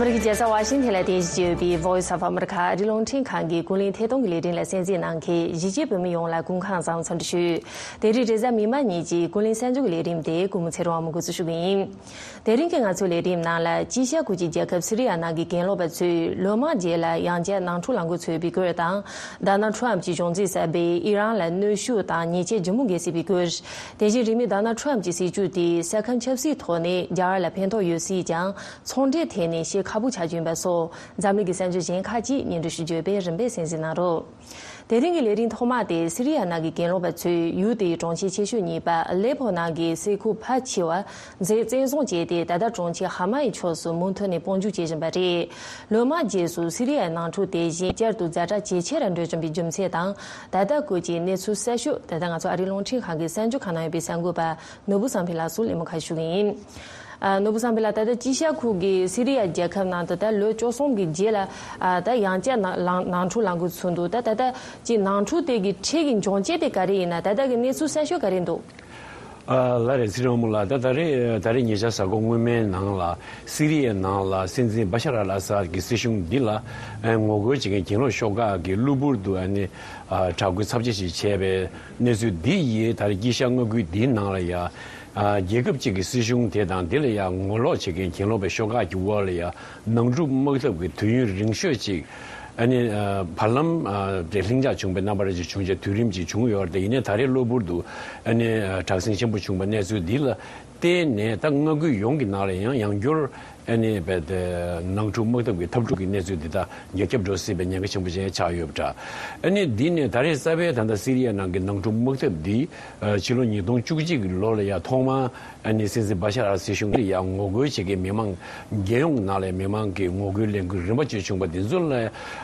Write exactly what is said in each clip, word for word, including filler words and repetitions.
ཨ་རིའི་རྒྱལ་ས་ཝ་ཤིང་ཐན་ལ་རྟེན་གཞི་བྱས་ཡོད་པའི་Voice of America ཨ་རིའི་རླུང་འཕྲིན་ཁང་གི་ཀུན་གླེང་ཐད་གཏོང་གི་ལས་རིམ་ལ་གསན་གཟིགས་གནང་མཁན་གཞིས་བྱེས་བོད་མི་ཡོངས་ལ་སྐུ་ཁམས་བཟང་འཚམས་འདྲི་ཞུ། དེ་རིང་རེས་གཟའ་མིག་དམར་ཉིན་གྱི་ཀུན་གླེང་གསར་འགྱུར་གྱི་ལས་རིམ་དེ་སྐུ་ངོ་ཚེ་རིང་དབང་མོས་འགོ་འཛུགས་ཞུ་གི་ཡིན། དེ་རིང་གི་ང་ཚོའི་ལས་རིམ་ནང་ལ་དཀྱིལ་ཤར་ཁུལ་གྱི་རྒྱལ་ཁབ་སི་རི་ཡ་ནང་གི་གྱེན་ལོག་པ་ཚོས་ལོ་མང་རྗེས་ལ་ཡང་བསྐྱར་ནང་འཁྲུག་ལངས་འགོ་ཚུགས་པའི་སྐོར་དང་། ཌོ་ནལ་ཊམ་གྱི་གཞུང་འཛིན་གསར་པས་ཨི་རན་ལ་གནོན་ཤུགས་དང་ཉེས་ཆད་ལྗིད་མོ་འགེལ་སྲིད་པའི་སྐོར། དེ་བཞིན་རིང་མིན་ཌོ་ནལ་ཊམ་གྱི་སྲིད་བྱུས་དེས་ས་ཁམས་ཆབ་སྲིད་ཐོག་ནས་རྒྱ་གར་ལ་ཕན་ཐོགས་ཡོད་སྲིད་ཀྱང་ཚོང་འབྲེལ་ཐད་ནས་ཤེད་ཁག་པོ་ཆགས་ཀྱི་ཡིན་པ་སོགས་འཛམ་གླིང་གི་གསར་འགྱུར་གཞན་ཁག་ཅིག་སྙན་སྒྲོན་ཞུ་རྒྱུ་ཡོད་པས་རིམ་པས་གསན་གཟིགས་གནང་རོགས། དེ་རིང་གི་ལས་རིམ་ཐོག་མ་དེ་སི་རི་ཡ་ནང་གི་གྱེན་ལོག་པ་ཚོས་ཡུལ་དེའི་གྲོང་ཁྱེར་ཆེ་ཤོས་གཉིས་པ་ཨ་ལེ་ཕོ་ནང་གི་ས་ཁུག་ཕལ་ཆེ་བ་མཛེས་བཙན་བཟུང་བྱས་ཏེ། ད་ལྟ་གྲོང་ཁྱེར་ཧ་མ་ཡི་ཕྱོགས་སུ་མུ་མཐུད་ནས་དཔུང་འཇུག་བྱེད་བཞིན་པ་རེད། ལོ་མང་རྗེས་སུ་སི་རི་ཡའི་ནང་འཁྲུག་དེ་བཞིན་བསྐྱར་དུ་ཛ་དྲག་ཇེ་ཆེ་རུ་འགྲོ་བཞིན་པའི་རྒྱུ་མཚན་དང་། ད་ལྟ་སྐོར་གྱི་གནས་ཚུལ་གསར་ཤོས་དེ་དག་ང་ཚོ་ཨ་རིའི་རླུང་འཕྲིན་ཁང་གི་གསར་འགྱུར་ཁང་ནང་ཡོད་པའི་གསར་འགོད་པ་ནོར་བུ་བསམ་འཕེལ་ལགས་སུ་གླེང་མོལ་ཁ་ཞུ་གི་ཡིན། ཨ། ནོར་བུ་བསམ་འཕེལ་ལགས། ད་ལྟ་དཀྱིལ་ཤར་ཁུལ་གྱི་སི་རི་ཡ་རྒྱལ་ཁབ་ནང་དུ་ད་ལོ་བཅུ་གསུམ་གྱི་རྗེས་ལ། ཨ། ད་ཡང་བསྐྱར་ནང་ལང་ནང་འཁྲུག་ལངས་འགོ་ཚུགས་འདུག་ད་ད་ལྟ་ཀྱི་ནང་འཁྲུག་དེ་གི་འཕྲལ་གྱི་འབྱུང་རྐྱེན་དེ་ག་རེ་ཡིན་ན། ད་ལྟ་གི་གནས་ཚུལ་གསར་ཤོས་ག་རེ་འདུག་ཨ། ལགས་རེད། ཚེ་རིང་དབང་མོ་ལགས། ད་ད་རེས་ད་རེས་ཉེ་ཆར་གཟའ་འཁོར་སྔོན་མའི་ནང་ལ་སི་རི་ཡའི་ནང་ལ་སྲིད་འཛིན་བ་ཤར་ཨལ་ཨ་སཱད་ཀྱི་སྲིད་གཞུང་འདི་ལ་ངོ་རྒོལ་བྱེད་མཁན་གྱེན་ལོག་ཤོག་ཁག་གིས་གློ་བུར་དུ་ཨ་ནི་དྲག་རྒོལ་ཚབས་ཆེ་ཞིག་བྱས་པའི་གནས་ཚུལ་འདི་ཡིས་ད་རེས་དཀྱིལ་ཤར་མངའ་ཁུལ་འདིའི་ནང་ལ་ཡ། ཨ། རྒྱལ་ཁབ་ཅིག་གི་སྲིད་གཞུང་དེ་དང་དེ་ལ་ཡང་ངོ་ལོག་བྱེད་མཁན་གྱེན་ལོག་པའི་ཤོག་ཁག་གི་དབར་ལ་ཡང་ནང་འཁྲུག་དམག་འཐབ་ཀྱི་དུས་ཡུན་རིང་ཤོས་ཅིག་ཨ་ནི། ཨ། བར་ལམ། ཨ། དེ་ལྷིང་འཇགས་བྱུང་བའི་རྣམ་པ་རེ་ཅིག་བྱུང་རྗེས་དུས་རིམ་ཅིག་བྱུང་ཡོད་རེད་དེ། ཡིན་ནའི་ད་རེས་གློ་བུར་དུ་ཨ་ནི། ཨ། དྲག་ཟིང་ཆེན་པོ་བྱུང་བའི་གནས་ཚུལ་འདི་ལ་བརྟེན་ནས། ད་མངའ་ཁུལ་ཡོངས་ཀྱི་ནང་ལ་ཡང་ཡང་བསྐྱར་ཨ་ནི་རྦད་དེ་ནང་འཁྲུག་དམག་འཐབ་ཀྱི་འཐབ་འཁྲུག་གི་གནས་ཚུལ་འདི་དག་རྒྱ་ཁྱབ་འགྲོ་སྲིད་པའི་ཉེན་ཁ་ཆེན་པོ་ཅིག་ཆགས་ཡོད་པ་འདྲ། ཨ་ནི་འདི་ནས་ད་རེས་གསར་པའི་ད་ལྟ་སི་རི་ཡ་ནང་གི་ནང་འཁྲུག་དམག་འཐབ་འདི། ཨ། ཕྱི་ལོ་ཉིས་སྟོང་བཅུ་གཅིག་གི་ལོ་ལ་ཡང་ཐོག་མར་ཨ་ནི་སྲིད་འཛིན་བ་ཤར་ཨལ་སྲིད་གཞུང་ལ་ཡང་ངོ་རྒོལ་བྱེད་མཁན་མི་མང་རྒྱལ་ཡོངས་ནང་ལས་མི་མང་གི་ངོ་རྒོལ་ལས་འགུལ་རིམ་པ་བྱས་བྱུང་བ་འདི་ཚོ་ལ།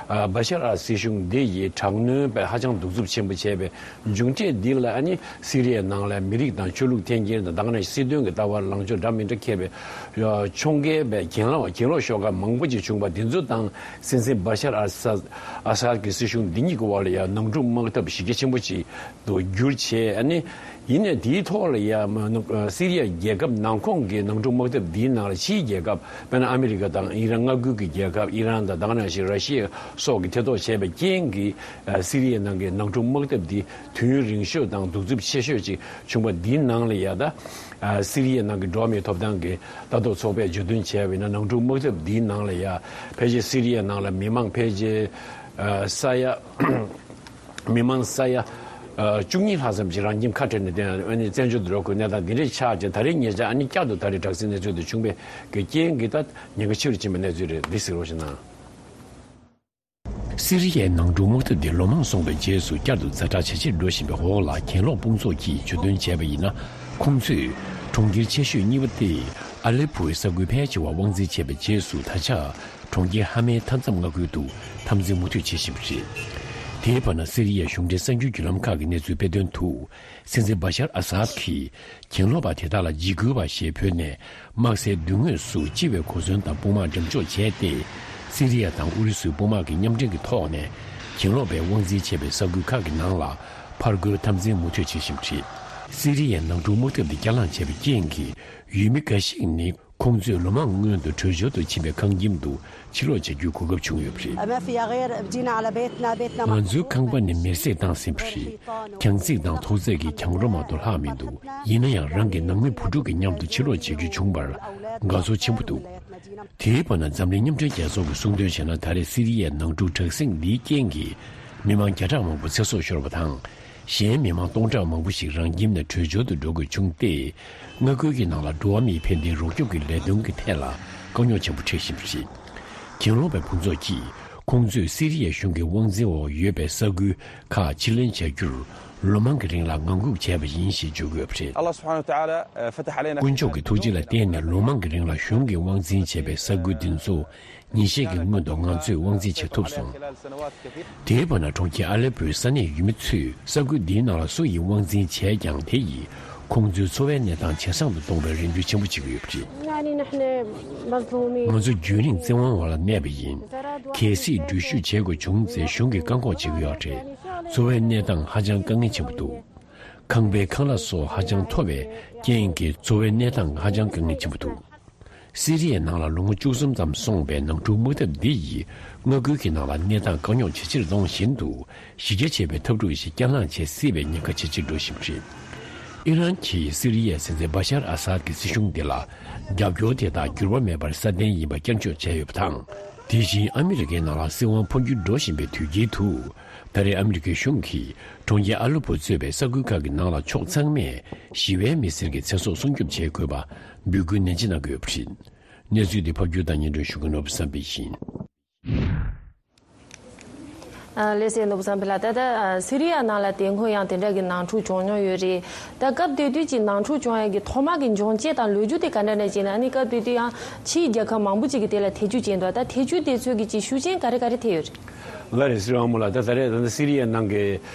ཨ། བ་ཤར་ཨལ་སྲིད་གཞུང་འདི་ཡིས་དྲག་གནོན་པས་ཧ་ཅང་གདུག་རྩུབ་ཆེན་པོ་བྱས་པའི་མཇུག་འབྲས་འདི་ལ། ཨ་ནི་སི་རི་ཡའི་ནང་ལ་མི་རིགས་དང་ཆོས་ལུགས་འཐེན་འཁྱེར་དང་། ད་ག་ནང་བཞིན་སྲིད་དོན་གྱི་ལྟ་བ་ལངས་ཕྱོགས་འདྲ་མི་འདྲ་འཁྱེར་བའི་ཕྱོགས་འགལ་བའི་གྱེན་ལོག་གྱེན་ལོག་ཤོག་ཁག་མང་པོ་ཅིག་བྱུང་བ་འདི་ཚོ་དང་། སྲིད་འཛིན་བ་ཤར་ཨལ་ཨ་སཱད་ཀྱི་སྲིད་གཞུང་འདི་གཉིས་ཀྱི་དབར་ལ་ཡང་ནང་འཁྲུག་དམག་འཐབ་གཞི་རྒྱ་ཆེན་པོ་ཅིག་ཏུ་གྱུར་བྱས། ཨ་ནི་ཡིན་ནའི་དེའི་ཐོག་ལ་ཡང་སི་རི་ཡ་རྒྱལ་ཁབ་ནང་ཁོངས་ཀྱི་ནང་འཁྲུག་དམག་འཐབ་འདིའི་ནང་ལ་ཕྱིའི་རྒྱལ་ཁབ་དཔེར་ན་ཨ་མི་རི་ཀ་དང་ཨི་རན། མངའ་ཁུལ་གྱི་རྒྱལ་ཁབ་ཨི་རན་དང་། ད་ག་ནང་བཞིན་ར་ཤི་ཡ་སོགས་ཀྱིས་ཐེ་གཏོགས་བྱས་པའི་རྐྱེན་གྱིས། ཨ། སི་རི་ཡའི་ནང་གི་ནང་འཁྲུག་དམག་འཐབ་འདི་དུས་ཡུན་རིང་ཤོས་དང་གདུག་རྩུབ་ཆེ་ཤོས་ཅིག་བྱུང་བ་འདིའི་ནང་ལ་ཡ། ད་ཨ་སི་རི་ཡའི་ནང་གི་འགྲོ་བ་མིའི་ཐོབ་ཐང་གི་ལྟ་རྟོག་ཚོགས་པས་བརྗོད་དོན་བྱས་པ་ཡིན་ན། ནང་འཁྲུག་དམག་འཐབ་འདིའི་ནང་ལ་ཡ་ཕལ་ཆེར་སི་རི་ཡའི་ནང་ལ་མི་མང་ཕལ་ཆེར། ཨ། ས་ཡ་མི་མང་ས་ཡ་ཨ་བཅུ་གཉིས་ལྷག་ཙམ་ཅིག་རང་ཁྱིམ་ཁ་བྲལ་ནས། དེ་ཨ་ནི་བཙན་བྱོལ་དུ་འགྲོ་དགོས་གནས་སྟངས་འདི་འདྲ་ཆགས་ཀྱང་། ད་རེས་ཉེ་ཆར་ཨ་ནི་བསྐྱར་དུ་ད་རེས་དྲག་ཟིང་གནས་ཚུལ་དེ་བྱུང་བའི་གི་རྐྱེན་གྱིས། ད་ཉེན་ཁ་ཆེ་རུ་ཕྱིན་པའི་གནས་ཚུལ་རེད། འདི་གཟིགས་རོགས་ཞུ་གནང་། སི་རི་ཡའི་ནང་འཁྲུག་དམག་འཐབ་འདི་ལོ་མང་སོང་བའི་རྗེས་སུ་བསྐྱར་དུ་ཛ་དྲག་ཇེ་ཆེར་འགྲོ་བཞིན་པའི་འོག་ལ། གྱེན་ལོག་དཔུང་ཚོགས་ཀྱིས་བརྗོད་དོན་བྱས་པ་ཡིན་ན། ཁོང་ཚོས་གྲོང་ཁྱེར་ཆེ་ཤོས་གཉིས་པ་སྟེ་ཨ་ལེ་པོའི་ས་ཁུལ་ཕལ་ཆེ་བ་དབང་འཛིན་བྱས་པའི་རྗེས་སུ། ད་ཆ་གྲོང་ཁྱེར་ཧ་མའི་མཐའ་མཚམས་མངའ་ཁུལ་དུ་འཐབ་འཛིང་མུ་མཐུད་བྱེད་བཞིན་པ་རེད། དེའི་བར་ན། སི་རི་ཡའི་གཞུང་འབྲེལ་གསར་འགྱུར་བརྒྱུད་ལམ་ཁག་གི་གནས་ཚུལ་སྤེལ་དོན་དུ། སྲིད་འཛིན་བ་ཤར་ཨ་སཱད་ཀྱིས་གྱེན་ལོག་པ་དེ་དག་ལ་འཇིགས་སྐུལ་བ་ཞེས་འབོད་ནས། དམག་སའི་མདུན་ངོས་སུ་སྤྱི་བའི་གོ་མཚོན་དང་དཔུང་དམག་འགྲེམས་འཇོག་བྱས་ཏེ། སི་རི་ཡ་དང་ཨུ་རུ་སུའི་དཔུང་དམག་གི་མཉམ་འབྲེལ་གྱི་ཐོག་ནས། གྱེན་ལོག་པས་དབང་འཛིན་བྱས་པའི་ས་ཁུལ་ཁག་གི་ནང་ལ་ཕར་རྒོལ་འཐབ་འཛིང་མུ་མཐུད་བྱེད་བཞིན་པ་རེད། སི་རི་ཡའི་ནང་འཁྲུག་དམག་འཐབ་འདི་བསྐྱར་ལངས་བྱས་པའི་རྐྱེན་གྱིས། ཡུལ་མི་འགའ་ཞིག་ནི། ཁོང་ཚོས་ལོ་མང་སྔོན་དུ་བྲོས་བྱོལ་དུ་ཕྱིན་པའི་ཁང་ཁྱིམ་དུ་ཕྱིར་ལོག་བྱ་རྒྱུའི་གོ་སྐབས་བྱུང་ཡོད་པ་རེད། ما في غير بدينا على بيتنا، بيتنا ང་ཚོའི་ཁང་པ་ནི་མེར་སྲེག་བཏང་ཟིན་པ་རེད། གྱང་རྩིག་དང་ཐོག་བརྩེགས་ཀྱི་གྱང་རོ་མ་གཏོགས་ལྷག་མི་འདུག་ཡིན་ན་ཡང་། རང་གི་ནང་མི་བུ་ཕྲུག་གི་མཉམ་དུ་ཕྱིར་ལོག་བྱ་རྒྱུ་བྱུང་བར་དགའ་ཚོར་ཆེན་པོ་འདུག་དེའི་བར་ན། འཛམ་གླིང་མཉམ་འབྲེལ་རྒྱལ་ཚོགས་ཀྱིས་གསུངས་དོན་བྱས་ན། ད་རེས་སི་རི་ཡའི་ནང་འཁྲུག་དྲག་ཟིང་འདིའི་རྐྱེན་གྱིས་མི་མང་བརྒྱ་ཕྲག་མང་པོ་ཚེ་སྲོག་ཤོར་བ་དང་། གཞན་མི་མང་སྟོང་ཕྲག་མང་པོ་ཞིག་རང་ཁྱིམ་ནས་བྲོས་བྱོལ་དུ་འགྲོ་དགོས་བྱུང་སྟེ། མངའ་ཁུལ་གྱི་ནང་ལ་འགྲོ་བ་མིའི་ཕན་བདེའི་རོགས་སྐྱོབ་ཀྱི་ལས་དོན་གྱི་ཐད་ལ་དཀའ་རྙོག་ཆེན་པོ་འཕྲད་བཞིན་པ་རེད། གྱེན་ལོག་པའི་དཔུང་ཚོགས་ཀྱིས་ཁོང་ཚོས་སི་རི་ཡའི་གཞུང་གི་དབང་འཛིན་འོག་ཡོད་པའི་ས་ཁུལ་ཁག་ཕྱིར་ལེན་བྱ་རྒྱུར་ལོ་མང་གི་རིང་ལ་ངང་སྒུག་བྱས་པ་ཡིན་ཞེས་བརྗོད་ཀྱི་ཡོད་པ་རེད། الله سبحانه وتعالى فتح علينا དཀོན་མཆོག་གི་ཐུགས་རྗེ་ལ་བརྟེན་ནས། ལོ་མང་གི་རིང་ལ་གཞུང་གིས་དབང་འཛིན་བྱས་པའི་ས་ཁུལ་འདི་ཚོ། ཉིན་ཤས་ཀྱི་སྔོན་དུ་ང་ཚོས་དབང་འཛིན་བྱེད་ཐུབ་སོང་། དེའི་བར་ན། གྲོང་ཁྱེར་ཨ་ལེ་པོའི་ས་གནས་ཡུལ་མི་ཚོས་ས་ཁུལ་འདིའི་ནང་ལ་སུ་ཡིས་དབང་འཛིན་བྱས་ཀྱང་། དེ་ཡིས་ཁོང་ཚོའི་འཚོ་བའི་གནས་སྟངས་ཇེ་བཟང་དུ་གཏོང་བའི་རེ་འདུན་ཆེན་པོ་བྱེད་ཀྱི་ཡོད་པ་རེད། يعني نحن مظلومين. ང་ཚོ་རྒྱུན་རིང་བཙན་དབང་འོག་ལ་གནས་པ་ཡིན། གལ་སྲིད་འགྲུལ་བཞུད་བྱེད་དགོས་བྱུང་ཚེ། གཞུང་གིས་བཀག་འགོག་བྱེད་ཀྱི་ཡོད་རེད། འཚོ་བའི་གནས་སྟངས་ཧ་ཅང་དཀའ་ངལ་ཆེན་པོ་འདུག་ཁང་པའི་ཁང་གླ་སོགས་ཧ་ཅང་མཐོ་བའི་རྐྱེན་གྱིས། འཚོ་བའི་གནས་སྟངས་ཧ་ཅང་དཀའ་ངལ་ཆེན་པོ་འདུག་སི་རི་ཡའི་ནང་ལ་ལོ་ངོ་བཅུ་གསུམ་ཙམ་སོང་བའི་ནང་འཁྲུག་དམག་འཐབ་འདི་ཡིས་མངའ་ཁུལ་གྱི་ནང་ལ་གནས་སྟངས་དཀའ་རྙོག་ཇེ་ཆེར་གཏོང་བཞིན་དུ། གཞི་རྒྱ་ཆེ་བའི་འཐབ་འཁྲུག་ཞིག་བསྐྱར་ལངས་བྱེད་སྲིད་པའི་ཉེན་ཁ་ཇེ་ཆེར་འགྲོ་བཞིན་པ་རེད། ཨི་རན་གྱིས་སི་རི་ཡའི་སྲིད་འཛིན་བ་ཤར་ཨ་སཱད་ཀྱི་སྲིད་གཞུང་འདི་ལ་རྒྱབ་སྐྱོར་དེ་དག་འགྱུར་བ་མེད་པར་སྲ་བརྟན་ཡིན་པ་བསྐྱར་བརྗོད་བྱས་ཡོད་པ་དང་། དེ་བཞིན་ཨ་མི་རི་ཀའི་ནང་ལ་སྲིད་དབང་འཕོ་འགྱུར་འགྲོ་བཞིན་པའི་དུས་དཀྱིལ་དུ། ད་རེས་ཨ་མི་རི་ཀའི་གཞུང་གིས་གྲོང་ཁྱེར་ཨ་ལེ་པོ་གཙོས་པའི་ས་ཁུལ་ཁག་གི་ནང་ལ་ཕྱོགས་ཚང་མས་ཞི་བའི་མི་སེར་གྱི་ཚེ་སྲོག་སྲུང་སྐྱོབ་བྱེད་དགོས་པ་འབོད་སྐུལ་ནན་ཆེ་གནང་གི་ཡོད་པ་རེད། གནས་ཚུལ་འདི་ཕབ་སྒྱུར་དང་སྙན་སྒྲོན་ཞུ་མཁན་ནོར་བུ་བསམ་འཕེལ་ཡིན། ཨ། ལགས་སོ། ནོར་བུ་བསམ་འཕེལ་ལགས། ད་ལྟ་ཨ་སི་རི་ཡ་ནང་ལ་དེ་སྔོན་ཡང་དེ་འདྲ་གི་ནང་འཁྲུག་བྱུང་མྱོང་ཡོད་རེད། ད་སྐབས་དེ་དུས་ཀྱི་ནང་འཁྲུག་བྱུང་ཡ་གི་ཐོག་མ་གི་འབྱུང་རྐྱེན་དང་ལོ་རྒྱུས་དེ་ག་འདྲ་འདྲ་ཅིག་ན། ཨ་ནི་སྐབས་དེ་དུས་ཡང་ཕྱིའི་རྒྱལ་ཁབ་མང་པོ་ཅིག་གིས་དེ་ལ་ཐེ་ཇུས་བྱས་འདུག་ད་ཐེ་ཇུས་དེ་ཚོ་གི་ཅིག་ཤུགས་རྐྱེན་ག་རེ་ག་རེ་ཐེབས་ཡོད་རེད། ལགས་རེད། སྲིད་དབང་མོ་ལགས། ད་ད་རེས་ད་ལྟ་སི་རི་ཡའི་ནང་གི་